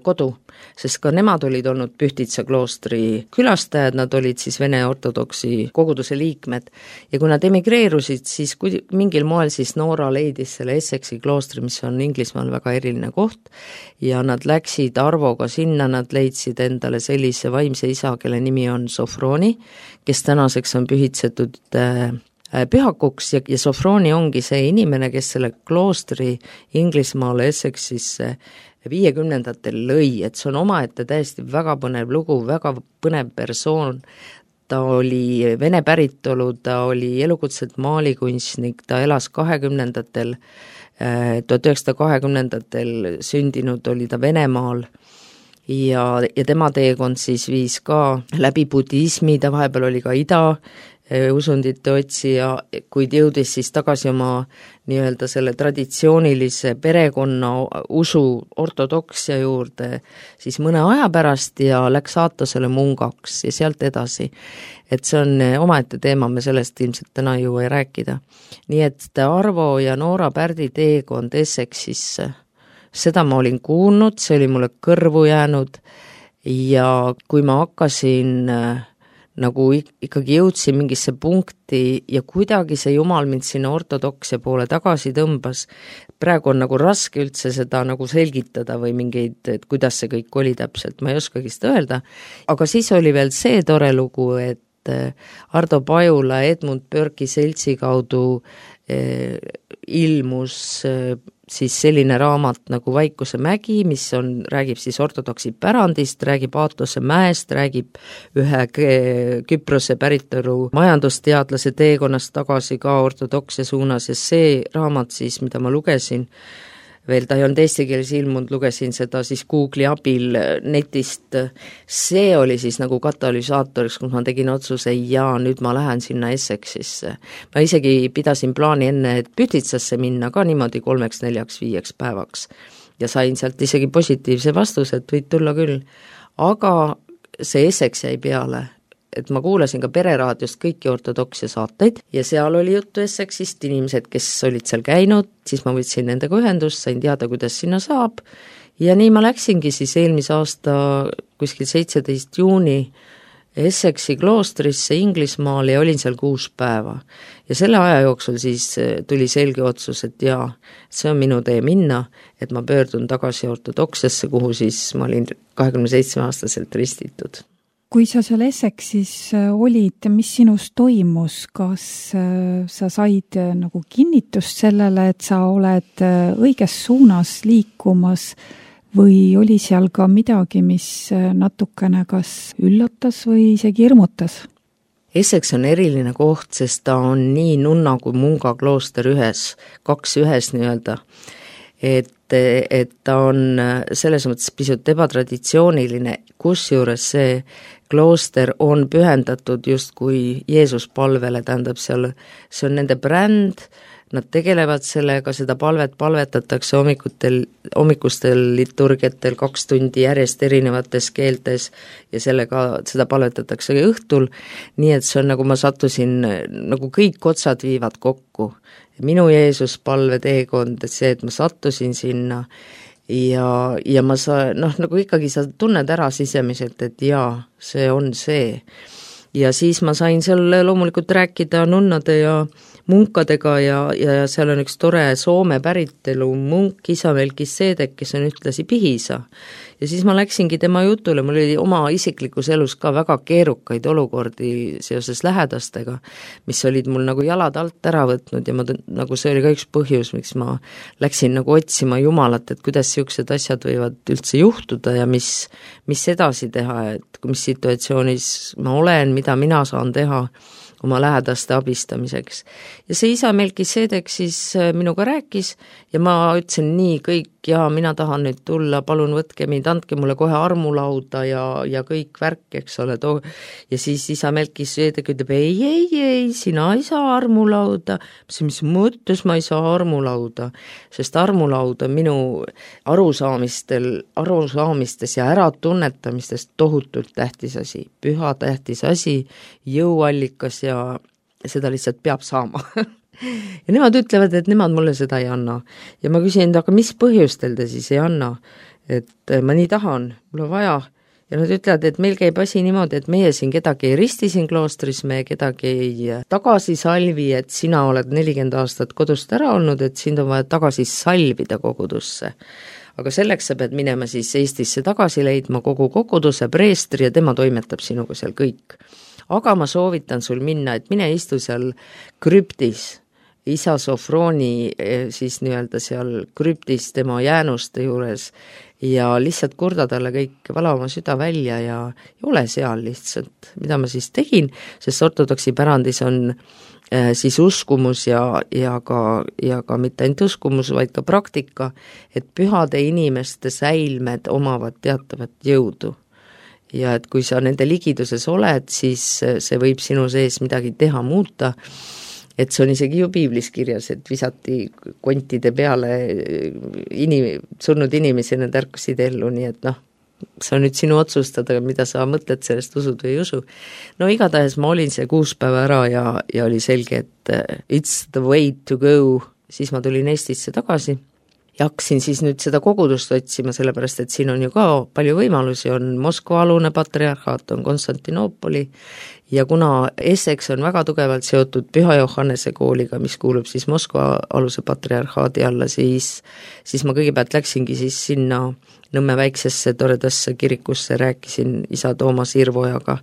kodu, sest ka nemad olid olnud Pühtitsa kloostri külastajad, nad olid siis Vene ortodoksi koguduse liikmed ja kui nad emigreerusid, siis mingil moel siis Noora leidis selle Essexi kloostri, mis on Inglismaal väga eriline koht ja nad läksid Arvoga sinna, nad leidsid endale sellise vaimse isa, kelle nimi on Sofroni, kes tänaseks on pühitsetud pühakuks ja Sofroni ongi see inimene, kes selle kloostri Inglismaale Essexisse 50-ndatel lõi, et see on omaette täiesti väga põnev lugu, väga põnev persoon, ta oli vene päritolu, ta oli elukutselt maalikunstnik, ta elas 20-ndatel, 1920-ndatel sündinud oli ta Venemaal ja tema teekond siis viis ka läbi budismi, ta vahepeal oli ka usundite otsija, kuid jõudis siis tagasi oma nii-öelda selle traditsioonilise perekonna usu ortodoksia juurde siis mõne aja pärast ja läks Aatosele mungaks ja sealt edasi. Et see on omaette teema, me sellest ilmselt täna ei jõua rääkida. Nii et Arvo ja Noora Pärdi teekond Essexisse, seda ma olin kuulnud, see oli mulle kõrvu jäänud ja kui ma hakkasin nagu ikkagi jõudsin mingisse punkti ja kuidagi see Jumal mind sinna ortodoksia poole tagasi tõmbas. Praegu on nagu raske üldse seda nagu selgitada või mingeid, et kuidas see kõik oli täpselt, ma ei oskagi seda öelda. Aga siis oli veel see tore lugu, et Ardo Pajula Edmund Burke'i seltsi kaudu ilmus siis selline raamat nagu Vaikuse mägi, mis räägib siis ortodoksi pärandist, räägib Aatose mäest, räägib ühe Küprose päritolu majandusteadlase teekonnast tagasi ka ortodoksia suunas ja see raamat siis, mida ma lugesin, veel ta ei olnud eesti keeles ilmunud, lugesin seda siis Google'i abil netist, see oli siis nagu katalüsaatoriks, kus ma tegin otsuse ja nüüd ma lähen sinna Essexisse. Ma isegi pidasin plaani enne, et Pühtitsasse minna ka niimoodi 3, 4, 5 päevaks ja sain sealt isegi positiivse vastuse, et võid tulla küll. Aga see Essex jäi peale, et ma kuulasin ka Pereraadiost kõiki ortodoksia saateid ja seal oli juttu Essexist, inimesed, kes olid seal käinud, siis ma võtsin nendega ühendust, sain teada, kuidas sinna saab ja nii ma läksingi siis eelmise aasta kuskil 17. juuni Essexi kloostrisse Inglismaale ja olin seal 6 päeva. Ja selle aja jooksul siis tuli selge otsus, et jaa, see on minu tee minna, et ma pöördun tagasi ortodoksiasse, kuhu siis ma olin 27-aastaselt ristitud. Kui sa seal Essexis olid, mis sinus toimus, kas sa said nagu kinnitust sellele, et sa oled õiges suunas liikumas või oli seal ka midagi, mis natukene kas üllatas või isegi hirmutas? Essex on eriline koht, sest ta on nii nunna kui munga klooster kaks ühes nii-öelda, et ta on selles mõttes pisut ebatraditsiooniline, kusjuures see klooster on pühendatud justkui Jeesus palvele, tähendab seal, see on nende bränd, nad tegelevad sellega, seda palvetatakse hommikustel liturgiatel 2 tundi järjest erinevates keeltes ja seda palvetatakse õhtul, nii et see on nagu ma sattusin, nagu kõik otsad viivad kokku. Minu Jeesus palve teekond, et see, et ma sattusin sinna ja ma nagu ikkagi sa tunned ära sisemiselt, et jaa, see on see. Ja siis ma sain seal loomulikult rääkida nunnade ja munkadega ja seal on üks tore Soome päritelu munk Isa Melkisedek, kes on ühtlasi Pihisa. Ja siis ma läksingi tema jutule, mul oli oma isiklikus elus ka väga keerukaid olukordi seoses lähedastega, mis olid mul nagu jalad alt ära võtnud ja nagu see oli ka üks põhjus, miks ma läksin nagu otsima Jumalat, et kuidas siuksed asjad võivad üldse juhtuda ja mis edasi teha, et mis situatsioonis ma olen, mida mina saan teha oma lähedaste abistamiseks. Ja see Isa Melkisedek siis minuga rääkis ja ma ütlesin nii kõik ja mina tahan nüüd tulla, palun võtke mind, andke mulle kohe armulauda ja kõik värk, eks ole. Ja siis Isa Melkisedek ütleb, ei, sina ei saa armulauda. Mis mõttes ma ei saa armulauda? Sest armulaud on minu arusaamistes ja äratunnetamistes tohutult tähtis asi, püha tähtis asi, jõuallikas ja seda lihtsalt peab saama. Ja nemad ütlevad, et nemad mulle seda ei anna. Ja ma küsin, aga mis põhjustel te siis ei anna? Et ma nii tahan, mul on vaja. Ja nad ütlevad, et meil käib asi niimoodi, et meie siin kedagi ei risti siin kloostris, me kedagi ei tagasi salvi, et sina oled 40 aastat kodust ära olnud, et sind on vaja tagasi salvida kogudusse. Aga selleks sa pead minema siis Eestisse tagasi leidma kogu koguduse preestri ja tema toimetab sinuga seal kõik. aga ma soovitan sul minna, et mine istu seal krüptis, isa Sofroni siis nii-öelda seal krüptis tema jäänuste juures ja lihtsalt kurda talle kõik, vala oma süda välja ja ole seal lihtsalt, mida ma siis tegin, sest ortodoksi pärandis on siis uskumus ja ka mitte ainult uskumus, vaid ka praktika, et pühade inimeste säilmed omavad teatavat jõudu. Ja et kui sa nende ligiduses oled, siis see võib sinu sees midagi teha, muuta, et see on isegi ju piiblis kirjas, et visati kontide peale surnud inimesi, need ärkasid ellu, nii et see on nüüd sinu otsustada, mida sa mõtled sellest, usud või ei usu. No igatahes ma olin see 6 päeva ära ja oli selge, et it's the way to go, siis ma tulin Eestisse tagasi ja hakkasin siis nüüd seda kogudust otsima, sellepärast et siin on ju ka palju võimalusi, on Moskva alune patriarhaat, on Konstantinoopoli ja kuna Essex on väga tugevalt seotud Püha Johannese kooliga, mis kuulub siis Moskva aluse patriarhaadi alla, siis ma kõigepealt läksingi siis sinna Nõmme väiksesse toredasse kirikusse, rääkisin isa Toomas Irvojaga,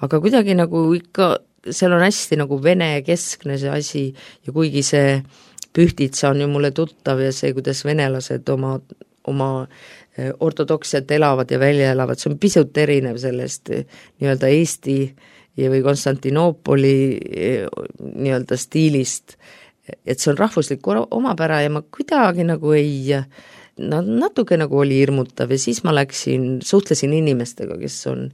aga kuidagi nagu ikka, seal on hästi nagu vene keskne see asi ja kuigi see Pühtitsa on ju mulle tuttav ja see, kuidas venelased oma ortodoksiat elavad ja välja elavad, see on pisut erinev sellest nii-öelda Eesti või Konstantinoopoli nii-öelda stiilist, et see on rahvuslik omapära ja ma kuidagi nagu natuke nagu oli hirmutav ja siis ma suhtlesin inimestega, kes on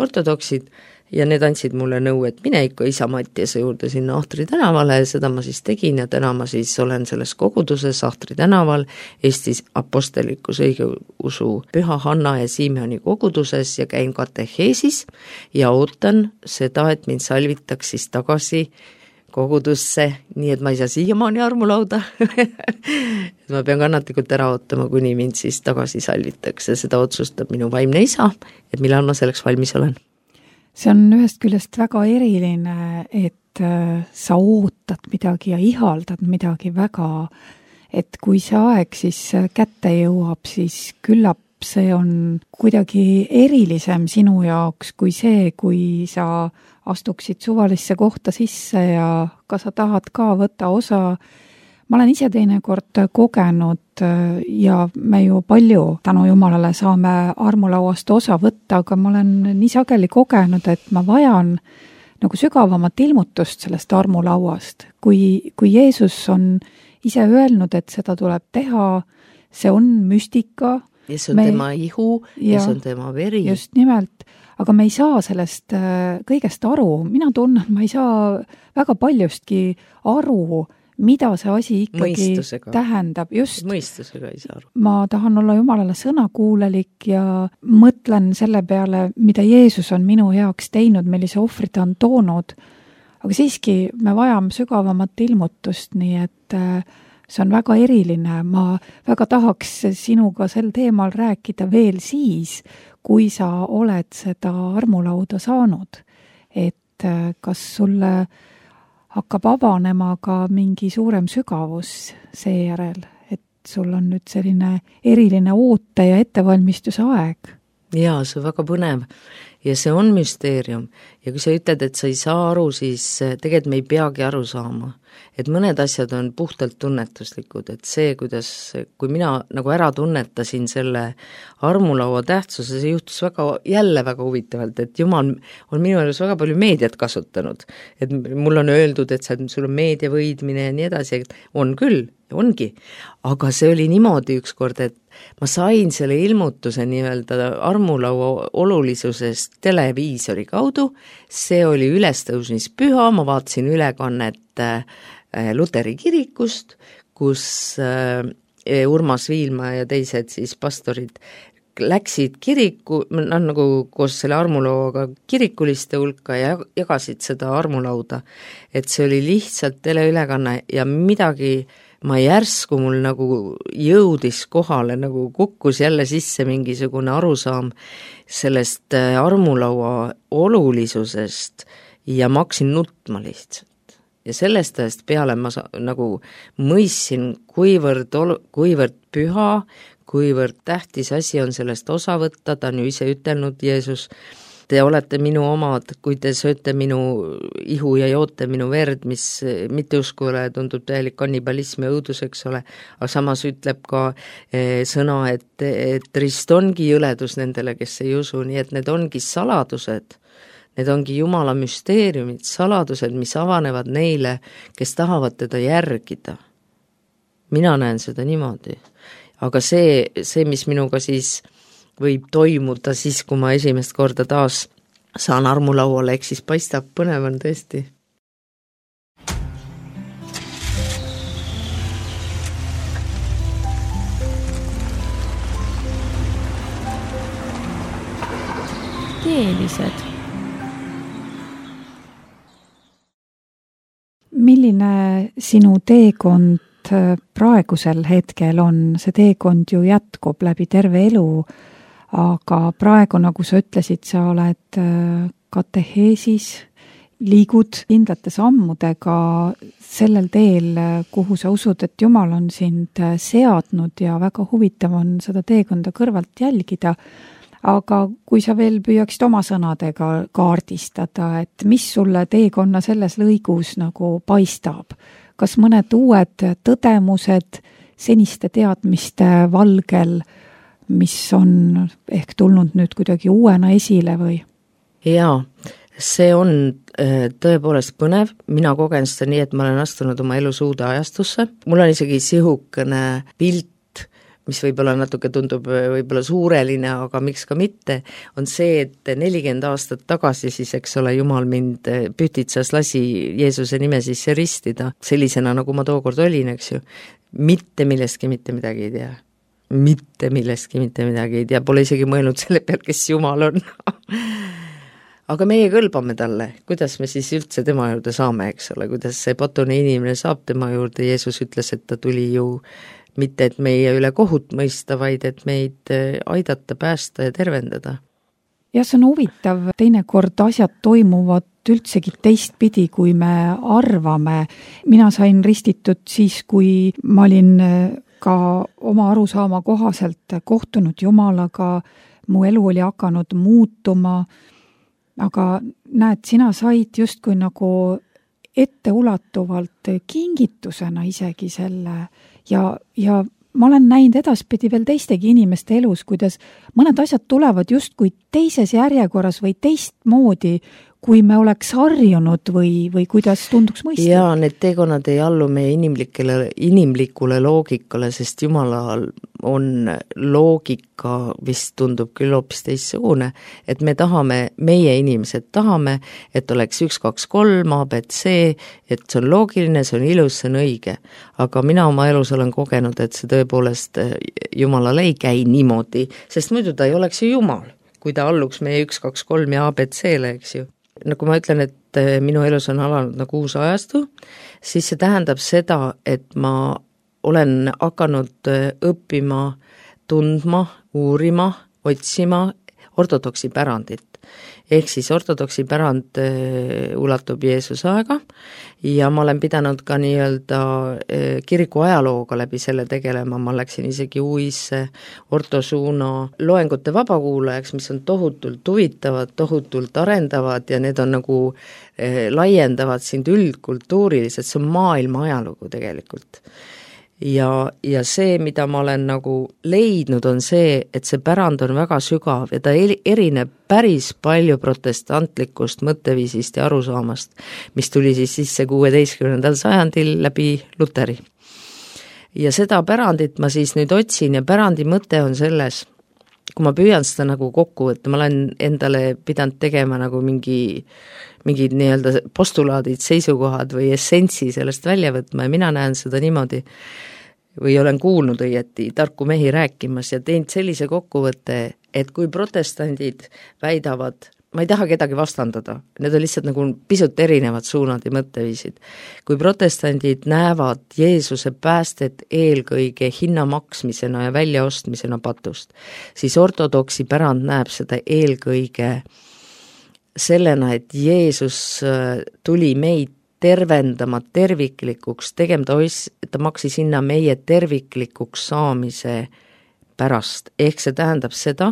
ortodoksid ja need andsid mulle nõu, et mine ikka isa Mattiase juurde sinna Ahtri tänavale ja seda ma siis tegin ja täna ma siis olen selles koguduses Ahtri tänaval Eestis apostelikus õigeusu Püha Hanna ja Simeoni koguduses ja käin kateheesis ja ootan seda, et mind salvitaks siis tagasi kogudusse, nii et ma ei saa siiamaani armulauda ma pean kannatlikult ära ootama, kuni mind siis tagasi salvitakse, seda otsustab minu vaimne isa, et millal ma selleks valmis olen. See on ühest küljest väga eriline, et sa ootad midagi ja ihaldad midagi väga, et kui see aeg siis kätte jõuab, siis küllap see on kuidagi erilisem sinu jaoks kui see, kui sa astuksid suvalisse kohta sisse ja ka sa tahad ka võtta osa. Ma olen ise teinekord kogenud ja me ju palju tänu Jumalale saame armulauast osa võtta, aga ma olen nii sageli kogenud, et ma vajan nagu sügavamat ilmutust sellest armulauast. Kui Jeesus on ise öelnud, et seda tuleb teha, see on müstika. Ja see on tema ihu ja see on tema veri. Just nimelt. Aga me ei saa sellest kõigest aru. Mina tunnen, ma ei saa väga paljustki aru, mida see asi ikkagi tähendab. Just, mõistusega ei saa aru. Ma tahan olla Jumalale sõnakuulelik ja mõtlen selle peale, mida Jeesus on minu heaks teinud, millise ohvri ta on toonud. Aga siiski me vajame sügavamat ilmutust, nii et see on väga eriline. Ma väga tahaks sinuga sel teemal rääkida veel siis, kui sa oled seda armulauda saanud. Et kas sulle hakkab avanema ka mingi suurem sügavus seejärel, et sul on nüüd selline eriline oote ja ettevalmistuse aeg? Jaa, see on väga põnev ja see on müsteerium ja kui sa ütled, et sa ei saa aru, siis tegelikult me ei peagi aru saama, et mõned asjad on puhtalt tunnetuslikud, et see, kui mina nagu ära tunnetasin selle armulaua tähtsuse, see juhtus jälle väga huvitavalt, et Jumal on minu elus väga palju meediat kasutanud, et mul on öeldud, et sul on meedia võidmine ja nii edasi, et on küll, ongi, aga see oli niimoodi ükskord, et ma sain selle ilmutuse nii-öelda armulaua olulisusest televiisori kaudu, see oli ülestõusmispüha, ma vaatasin ülekannet Luteri kirikust, kus Urmas Viilma ja teised siis pastorid läksid kiriku, nagu koos selle armulauaga kirikuliste hulka ja jagasid seda armulauda, et see oli lihtsalt teleülekanne ja midagi ma järsku mul nagu jõudis kohale, nagu kukkus jälle sisse mingisugune arusaam sellest armulaua olulisusest ja ma hakkasin nutma lihtsalt. Ja sellest ajast peale ma nagu mõistsin, kuivõrd püha, kuivõrd tähtis asi on sellest osa võtta, ta on ju ise ütelnud Jeesus, te olete minu omad, kui te sööte minu ihu ja joote minu verd, mis mitteuskule tundub täielik kannibalism ja õudus, eks ole, aga samas ütleb ka sõna, et rist ongi jõledus nendele, kes ei usu, nii et need ongi saladused, need ongi Jumala müsteeriumid, saladused, mis avanevad neile, kes tahavad teda järgida. Mina näen seda niimoodi. Aga see, mis minuga siis võib toimuda siis, kui ma esimest korda taas saan armulauale, ehk siis paistab, põnev on tõesti. Teelised. Milline sinu teekond praegusel hetkel on? See teekond ju jätkub läbi terve elu, aga praegu, nagu sa ütlesid, sa oled kateheesis, liigud kindlate sammudega sellel teel, kuhu sa usud, et Jumal on sind seadnud ja väga huvitav on seda teekonda kõrvalt jälgida. Aga kui sa veel püüaksid oma sõnadega kaardistada, et mis sulle teekonna selles lõigus nagu paistab? Kas mõned uued tõdemused seniste teadmiste valgel, mis on ehk tulnud nüüd kuidagi uuena esile või? Jaa, see on tõepoolest põnev, mina kogen seda nii, et ma olen astunud oma elus uude ajastusse, mul on isegi sihukene pilt, mis võib-olla natuke tundub võib-olla suureline, aga miks ka mitte, on see, et 40 aastat tagasi siis, eks ole, Jumal mind Pühtitsas lasi Jeesuse nime sisse ristida, sellisena, nagu ma tookord olin, eks ju, mitte millestki mitte midagi ei tea. Mitte millestki mitte midagi ei tea, pole isegi mõelnud selle peal, kes Jumal on. Aga meie kõlbame talle, kuidas me siis üldse tema juurde saame, eks ole, kuidas see patune inimene saab tema juurde, Jeesus ütles, et ta tuli ju mitte, et meie üle kohut mõista, vaid et meid aidata, päästa ja tervendada. Ja see on huvitav, teinekord asjad toimuvad üldsegi teistpidi, kui me arvame. Mina sain ristitud siis, kui ma olin ka oma arusaama kohaselt kohtunud Jumalaga, mu elu oli hakanud muutuma, aga näed, sina said justkui nagu etteulatuvalt kingitusena isegi selle ja ma olen näinud edaspidi veel teistegi inimeste elus, kuidas mõned asjad tulevad justkui teises järjekorras või teistmoodi, kui me oleks harjunud või kuidas tunduks mõista. Jaa, need teekonnad ei allu meie inimlikule loogikale, sest Jumalal on loogika, vist tundub küll hoopis teistsugune, et meie inimesed tahame, et oleks 1, 2, 3, ABC, et see on loogiline, see on ilus, see on õige. Aga mina oma elus olen kogenud, et see tõepoolest Jumalal ei käi niimoodi, sest muidu ta ei oleks ju Jumal, kui ta alluks meie 1, 2, 3 ja ABC-le, eks ju. Nagu ma ütlen, et minu elus on alanud nagu uus ajastu, siis see tähendab seda, et ma olen hakanud õppima, tundma, uurima, otsima ortodoksi pärandit. Ehk siis ortodoksi pärand ulatub Jeesuse aega ja ma olen pidanud ka nii-öelda kiriku ajalooga läbi selle tegelema, ma läksin isegi UIS-e ortosuuna loengute vabakuulajaks, mis on tohutult huvitavad, tohutult arendavad ja need on nagu laiendavad sind üldkultuuriliselt, see on maailma ajalugu tegelikult. Ja see, mida ma olen nagu leidnud, on see, et see pärand on väga sügav ja ta erineb päris palju protestantlikust mõtteviisist ja arusaamast, mis tuli siis sisse 16. sajandil läbi Luteri. Ja seda pärandit ma siis nüüd otsin ja pärandi mõte on selles, kui ma püüan seda nagu kokku võtta, ma olen endale pidanud tegema nagu mingid nii-öelda postulaadid, seisukohad või essentsi sellest välja võtma ja mina näen seda niimoodi, või olen kuulnud õieti tarku mehi rääkimas ja teinud sellise kokkuvõtte, et kui protestandid väidavad, ma ei taha kedagi vastandada, need on lihtsalt nagu pisut erinevad suunad ja mõtteviisid. Kui protestandid näevad Jeesuse päästet eelkõige hinna maksmisena ja väljaostmisena patust, siis ortodoksi pärand näeb seda eelkõige sellena, et Jeesus tuli meid tervendama terviklikuks, ta maksis hinna meie terviklikuks saamise pärast. Ehk see tähendab seda,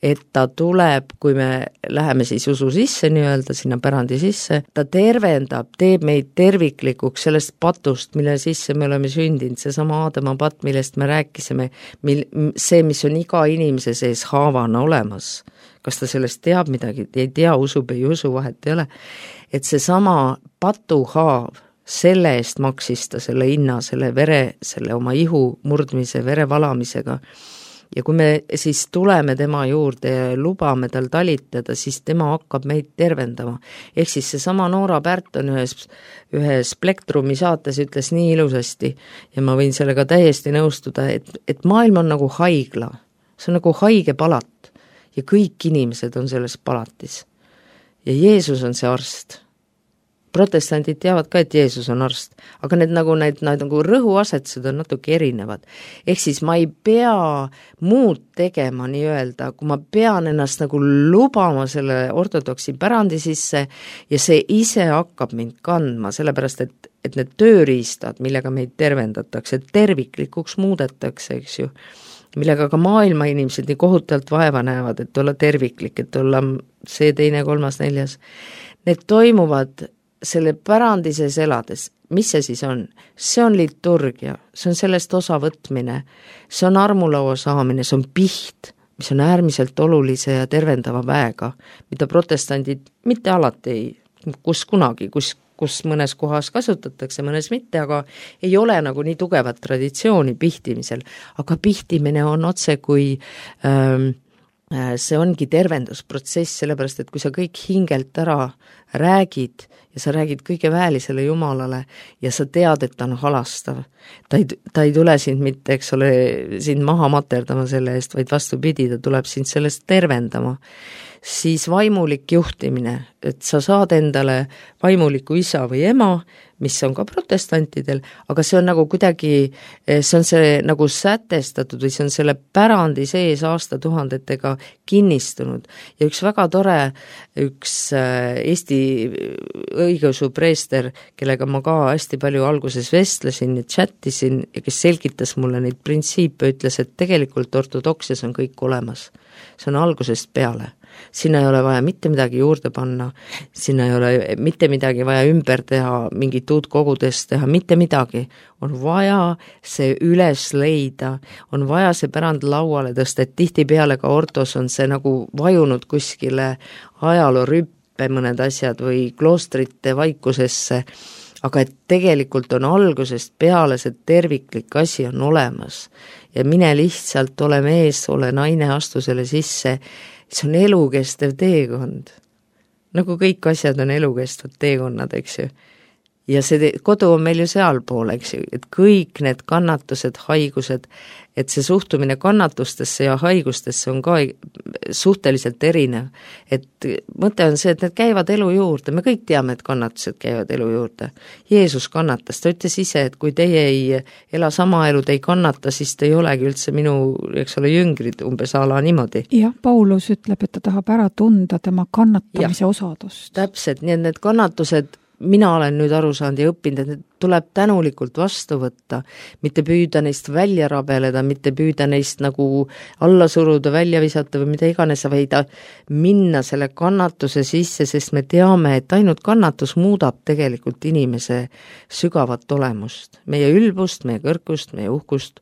et ta tuleb, kui me läheme siis usu sisse nii-öelda, sinna pärandi sisse, ta tervendab, teeb meid terviklikuks sellest patust, mille sisse me oleme sündinud, seesama Aadama patt, millest me rääkisime, see, mis on iga inimese sees haavana olemas, kas ta sellest teab midagi, ei tea, usub, ei usu, vahet ei ole, et seesama patuhaav, selle eest maksis ta selle hinna, selle vere, selle oma ihu murdmise, vere valamisega. Ja kui me siis tuleme tema juurde ja lubame tal talitada, siis tema hakkab meid tervendama. Ehk siis seesama Noora Pärton ühes Plektrumi saates ütles nii ilusasti ja ma võin sellega täiesti nõustuda, et maailm on nagu haigla. See on nagu haige palat ja kõik inimesed on selles palatis. Ja Jeesus on see arst. Protestandid teavad ka, et Jeesus on arst, aga need nagu rõhuasetused on natuke erinevad. Ehk siis ma ei pea muud tegema nii-öelda, kui ma pean ennast nagu lubama selle ortodoksi pärandi sisse ja see ise hakkab mind kandma, sellepärast et need tööriistad, millega meid tervendatakse, terviklikuks muudetakse, eks ju, millega ka maailma inimesed nii kohutavalt vaeva näevad, et olla terviklik, et olla see, teine, kolmas, neljas, need toimuvad selle pärandi sees elades. Mis see siis on? See on liturgia, see on sellest osavõtmine, see on armulaua saamine, see on piht, mis on äärmiselt olulise ja tervendava väega, mida protestandid mitte alati ei, kus kunagi, kus mõnes kohas kasutatakse, mõnes mitte, aga ei ole nagu nii tugevat traditsiooni pihtimisel, aga pihtimine on otse kui see ongi tervendusprotsess, sellepärast, et kui sa kõik hingelt ära räägid ja sa räägid kõige väälisele Jumalale ja sa tead, et ta on halastav, ta ei tule sind mitte, eks ole, sind maha materdama selle eest, vaid vastupidi, ta tuleb sind sellest tervendama, siis vaimulik juhtimine, et sa saad endale vaimuliku isa või ema, mis on ka protestantidel, aga see on nagu kuidagi, see on see nagu sätestatud või see on selle pärandi sees aastatuhandetega kinnistunud. Ja üks väga tore, üks Eesti õigeusu preester, kellega ma ka hästi palju alguses vestlesin ja chattisin ja kes selgitas mulle neid printsiipe, ütles, et tegelikult ortodoksias on kõik olemas. See on algusest peale. Sinna ei ole vaja mitte midagi juurde panna, sinna ei ole mitte midagi vaja ümber teha, mingit uut kogudest teha, mitte midagi. On vaja see üles leida, on vaja see pärand lauale tõsta, et tihtipeale ka ortos on see nagu vajunud kuskile ajaloorüppe mõned asjad või kloostrite vaikusesse, aga et tegelikult on algusest peale see terviklik asi on olemas ja mine lihtsalt ole mees, ole naine, astu selle sisse, see on elukestev teekond. Nagu kõik asjad on elukestvad teekonnad, eks ju. Ja see kodu on meil ju sealpool, eks ju, et kõik need kannatused, haigused, et see suhtumine kannatustesse ja haigustesse on ka suhteliselt erinev. Et mõte on see, et need käivad elu juurde, me kõik teame, et kannatused käivad elu juurde. Jeesus kannatas, ta ütles ise, et kui teie ei ela sama elu, te ei kannata, siis te ei olegi üldse minu, eks ole, jüngrid umbes ala niimoodi. Jah, Paulus ütleb, et ta tahab ära tunda tema kannatamise osadust. Täpselt, nii et need kannatused mina olen nüüd aru saanud ja õppinud, et tuleb tänulikult vastu võtta, mitte püüda neist välja rabeleda, mitte püüda neist nagu alla suruda, välja visata või mida iganes, vaid minna selle kannatuse sisse, sest me teame, et ainult kannatus muudab tegelikult inimese sügavat olemust, meie ülbust, meie kõrgust, meie uhkust,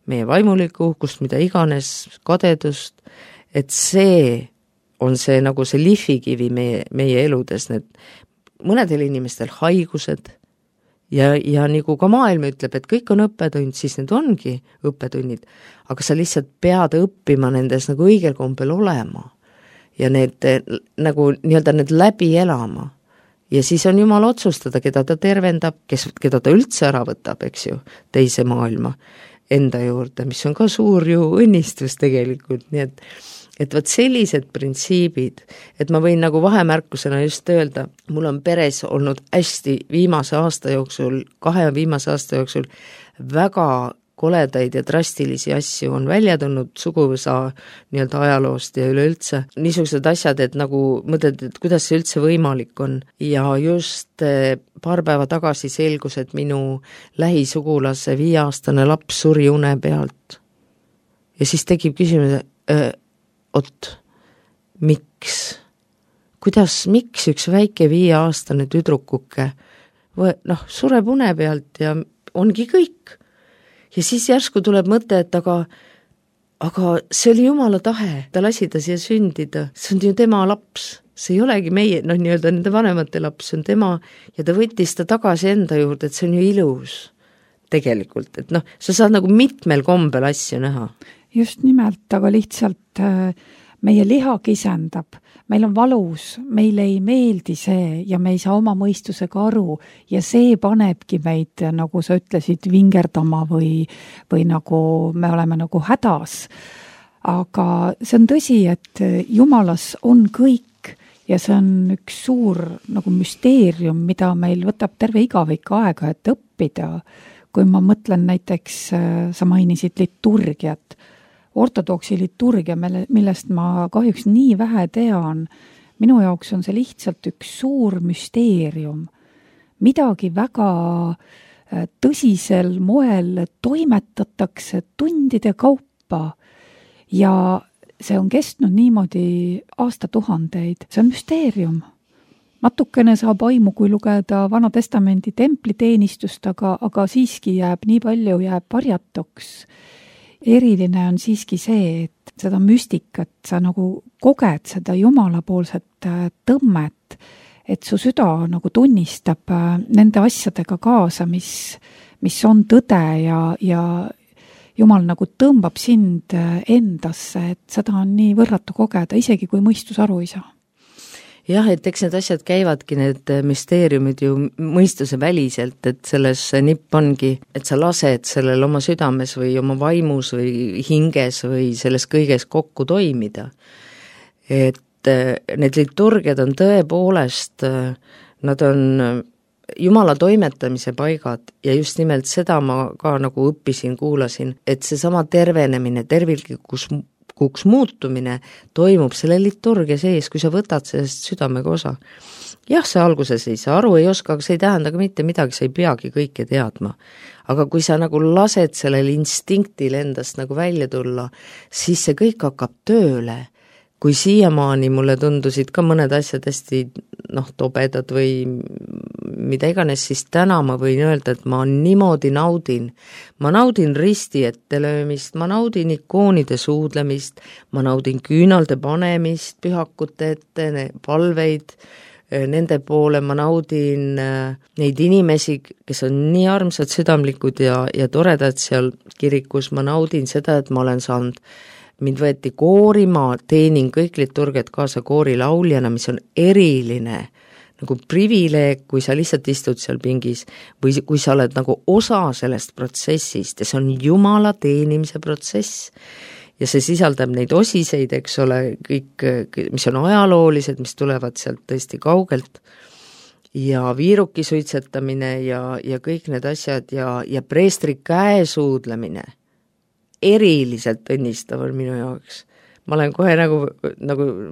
meie vaimulikku uhkust, mida iganes, kadedust, et see on see nagu see lihvikivi meie eludes, need mõnedel inimestel haigused ja nagu ka maailm ütleb, et kõik on õppetund, siis need ongi õppetunnid, aga sa lihtsalt pead õppima nendes nagu õigel kombel olema ja need nagu nii-öelda need läbi elama ja siis on Jumal otsustada, keda ta tervendab, keda ta üldse ära võtab, eks ju, teise maailma enda juurde, mis on ka suur ju õnnistus tegelikult, nii et võt sellised printsiibid, et ma võin nagu vahemärkusena just öelda, mul on peres olnud hästi viimase aasta jooksul, 2 viimase aasta jooksul väga koledaid ja drastilisi asju on välja tulnud suguvõsa nii-öelda ajaloost ja üleüldse. Niisugused asjad, et nagu mõtled, et kuidas see üldse võimalik on ja just paar päeva tagasi selgus, et minu lähisugulase 5-aastane laps suri une pealt. Ja siis tekib küsimus, miks üks väike 5-aastane tüdrukuke sureb une pealt ja ongi kõik. Ja siis järsku tuleb mõte, et aga see oli Jumala tahe, ta lasi ta siia sündida, see on ju tema laps, see ei olegi meie, nii-öelda nende vanemate laps, see on tema ja ta võttis ta tagasi enda juurde, et see on ju ilus tegelikult, et sa saad nagu mitmel kombel asju näha. Just nimelt, aga lihtsalt meie liha kisendab, meil on valus, meile ei meeldi see ja me ei saa oma mõistusega aru ja see panebki meid, nagu sa ütlesid, vingerdama või nagu me oleme nagu hädas. Aga see on tõsi, et Jumalas on kõik ja see on üks suur nagu müsteerium, mida meil võtab terve igavik aega, et õppida. Kui ma mõtlen näiteks, sa mainisid liturgiat, ortodoksi liturgia, millest ma kahjuks nii vähe tean, minu jaoks on see lihtsalt üks suur müsteerium. Midagi väga tõsisel moel toimetatakse tundide kaupa ja see on kestnud niimoodi aastatuhandeid. See on müsteerium. Natukene saab aimu, kui lugeda Vana Testamendi templiteenistust, aga siiski nii palju jääb varjatuks. Eriline on siiski see, et seda müstikat sa nagu koged seda jumalapoolset tõmmet, et su süda nagu tunnistab nende asjadega kaasa, mis on tõde ja Jumal nagu tõmbab sind endasse, et seda on nii võrratu kogeda, isegi kui mõistus aru ei saa. Jah, et eks need asjad käivadki, need müsteeriumid ju mõistuse väliselt, et selles nipp ongi, et sa lased sellel oma südames või oma vaimus või hinges või selles kõiges kokku toimida. Et need liturgiad on tõepoolest, nad on Jumala toimetamise paigad ja just nimelt seda ma ka nagu õppisin, kuulasin, et seesama tervenemine, terviklikuks muutumine toimub selle liturgia sees, kui sa võtad sellest südamega osa. Jah, sa alguses ei saa aru, ei oska, aga see ei tähenda ka mitte midagi, sa ei peagi kõike teadma. Aga kui sa nagu lased sellel instinktil endast nagu välja tulla, siis see kõik hakkab tööle. Kui siiamaani mulle tundusid ka mõned asjad hästi tobedad või mida iganes, siis täna ma võin öelda, et ma niimoodi naudin. Ma naudin risti ette löömist, ma naudin ikoonide suudlemist, ma naudin küünalde panemist, pühakute ette, palveid nende poole, ma naudin neid inimesi, kes on nii armsad, südamlikud ja toredad seal kirikus, ma naudin seda, et ma olen saanud mind võeti koori, ma teenin kõik liturgiat kaasa koorilauljana, mis on eriline nagu privileeg, kui sa lihtsalt istud seal pingis või kui sa oled nagu osa sellest protsessist ja see on Jumala teenimise protsess ja see sisaldab neid osiseid, eks ole, kõik, mis on ajaloolised, mis tulevad sealt tõesti kaugelt ja viiruki suitsetamine ja kõik need asjad ja preestri käesuudlemine eriliselt õnnistav on minu jaoks. Ma olen kohe nagu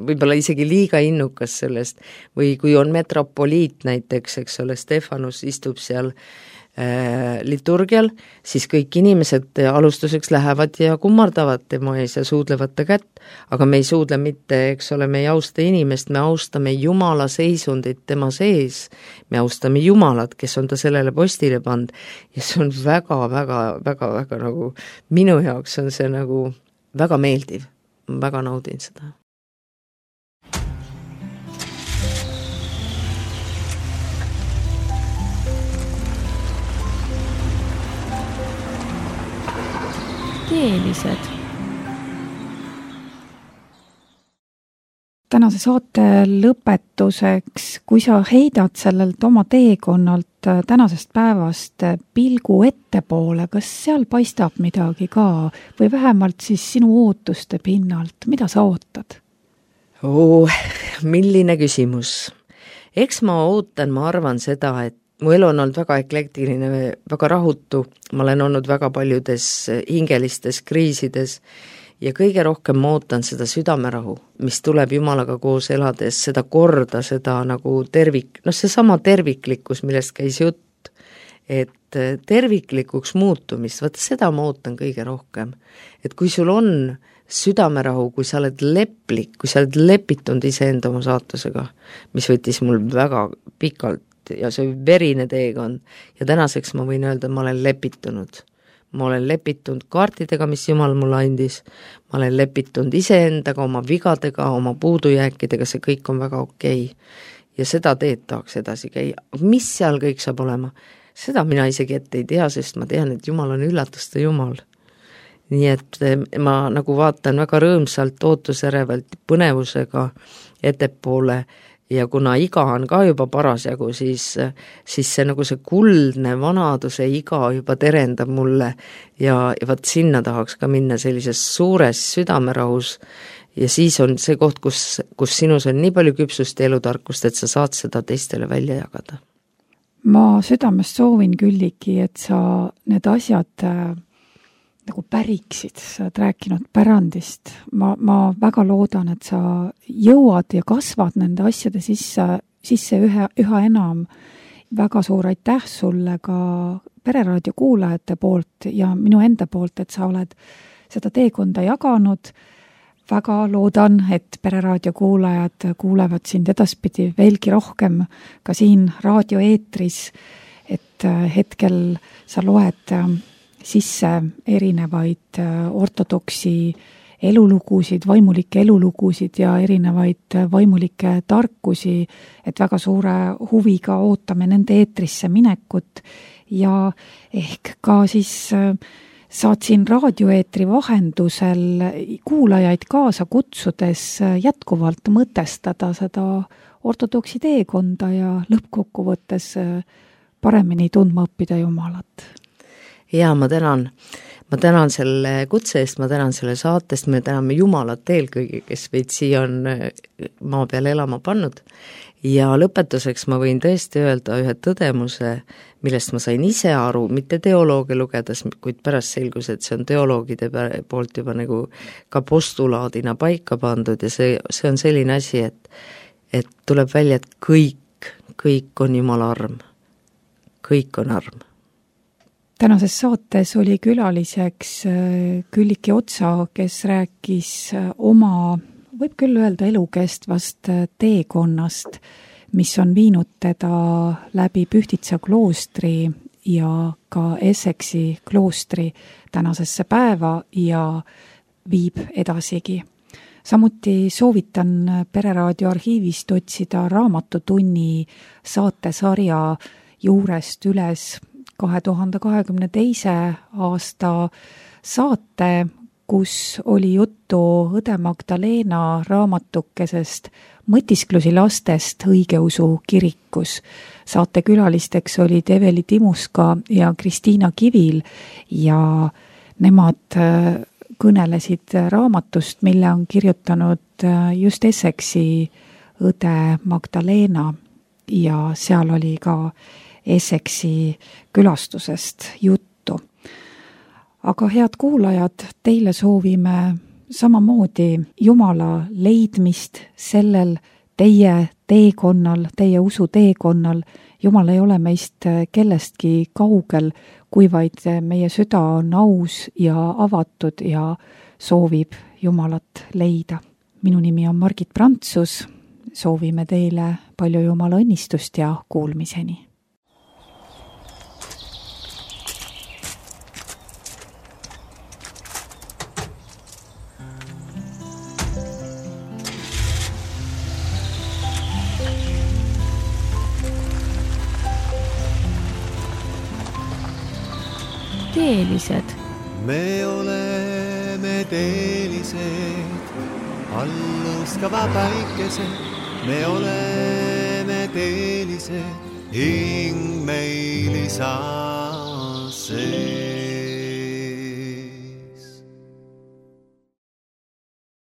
võib-olla isegi liiga innukas sellest või kui on metropoliit näiteks, eks ole, Stefanus istub seal liturgial, siis kõik inimesed alustuseks lähevad ja kummardavad tema ees ja suudlevad ta kätt, aga me ei suudle mitte, eks ole, me ei austa inimest, me austame Jumala seisundit tema sees, me austame Jumalat, kes on ta sellele postile pand ja see on väga nagu, minu jaoks on see nagu väga meeldiv, ma väga naudin seda. Teelised. Tänase saate lõpetuseks, kui sa heidad sellelt oma teekonnalt tänasest päevast pilgu ettepoole, kas seal paistab midagi ka või vähemalt siis sinu ootuste pinnalt, mida sa ootad? Milline küsimus. Eks ma ootan, ma arvan seda, et mu elu on olnud väga eklektiline, väga rahutu, ma olen olnud väga paljudes hingelistes kriisides ja kõige rohkem ma ootan seda südamerahu, mis tuleb Jumalaga koos elades, seda korda, seda nagu seesama terviklikkus, millest käis jutt, et terviklikuks muutumist, vaata seda ma ootan kõige rohkem. Et kui sul on südamerahu, kui sa oled leplik, kui sa oled lepitunud iseenda oma saatusega, mis võttis mul väga pikalt ja see verine teekond ja tänaseks ma võin öelda, ma olen lepitunud. Ma olen lepitunud kaartidega, mis Jumal mulle andis, ma olen lepitunud iseendaga, oma vigadega, oma puudujääkidega, see kõik on väga okei. Ja seda teed tahaks edasi käia. Mis seal kõik saab olema? Seda mina isegi ette ei tea, sest ma tean, et Jumal on üllatuste Jumal. Nii et ma nagu vaatan väga rõõmsalt, ootusärevalt, põnevusega ettepoole ja kuna iga on ka juba parasjagu, siis see nagu see kuldne vanaduse iga juba terendab mulle ja vaat sinna tahaks ka minna sellises suures südamerahus ja siis on see koht, kus sinus on nii palju küpsust ja elutarkust, et sa saad seda teistele välja jagada. Ma südamest soovin Külliki, et sa need asjad nagu päriksid, sa oled rääkinud pärandist. Ma väga loodan, et sa jõuad ja kasvad nende asjade sisse üha enam. Väga suur aitäh sulle ka Pereraadio kuulajate poolt ja minu enda poolt, et sa oled seda teekonda jaganud. Väga loodan, et Pereraadio kuulajad kuulevad sind edaspidi veelgi rohkem ka siin raadioeetris, et hetkel sa loed sisse erinevaid ortodoksi elulugusid, vaimulikke elulugusid ja erinevaid vaimulikke tarkusi, et väga suure huviga ootame nende eetrisse minekut ja ehk ka siis saad siin raadioeetri vahendusel kuulajaid kaasa kutsudes jätkuvalt mõtestada seda ortodoksi teekonda ja lõppkokkuvõttes paremini tundma õppida Jumalat. Ja ma tänan selle kutse eest, ma tänan selle saatest, me täname Jumalat eelkõige, kes meid siia on maa peale elama pannud ja lõpetuseks ma võin tõesti öelda ühe tõdemuse, millest ma sain ise aru, mitte teoloogia lugedes, kuid pärast selgus, et see on teoloogide poolt juba nagu ka postulaadina paika pandud ja see on selline asi, et tuleb välja, et kõik on Jumala arm, kõik on arm. Tänases saates oli külaliseks Külliki Otsa, kes rääkis oma, võib küll öelda elukestvast teekonnast, mis on viinud teda läbi Pühtitsa kloostri ja ka Essexi kloostri tänasesse päeva ja viib edasigi. Samuti soovitan Pereraadio arhiivist otsida Raamatutunni saatesarja juurest üles 2022. aasta saate, kus oli juttu õde Magdalena raamatukesest Mõtisklusi lastest õigeusu kirikus. Saate külalisteks olid Eveli Timuska ja Kristiina Kivil ja nemad kõnelesid raamatust, mille on kirjutanud just Essexi õde Magdalena ja seal oli ka Essexi külastusest juttu. Aga head kuulajad, teile soovime samamoodi Jumala leidmist sellel teie teekonnal, teie usu teekonnal. Jumal ei ole meist kellestki kaugel, kui vaid meie süda on aus ja avatud ja soovib Jumalat leida. Minu nimi on Margit Prantsus, soovime teile palju Jumala õnnistust ja kuulmiseni. Teelised. Me oleme teelised, alluskava päikesed. Me oleme teelised, hing meil isasse.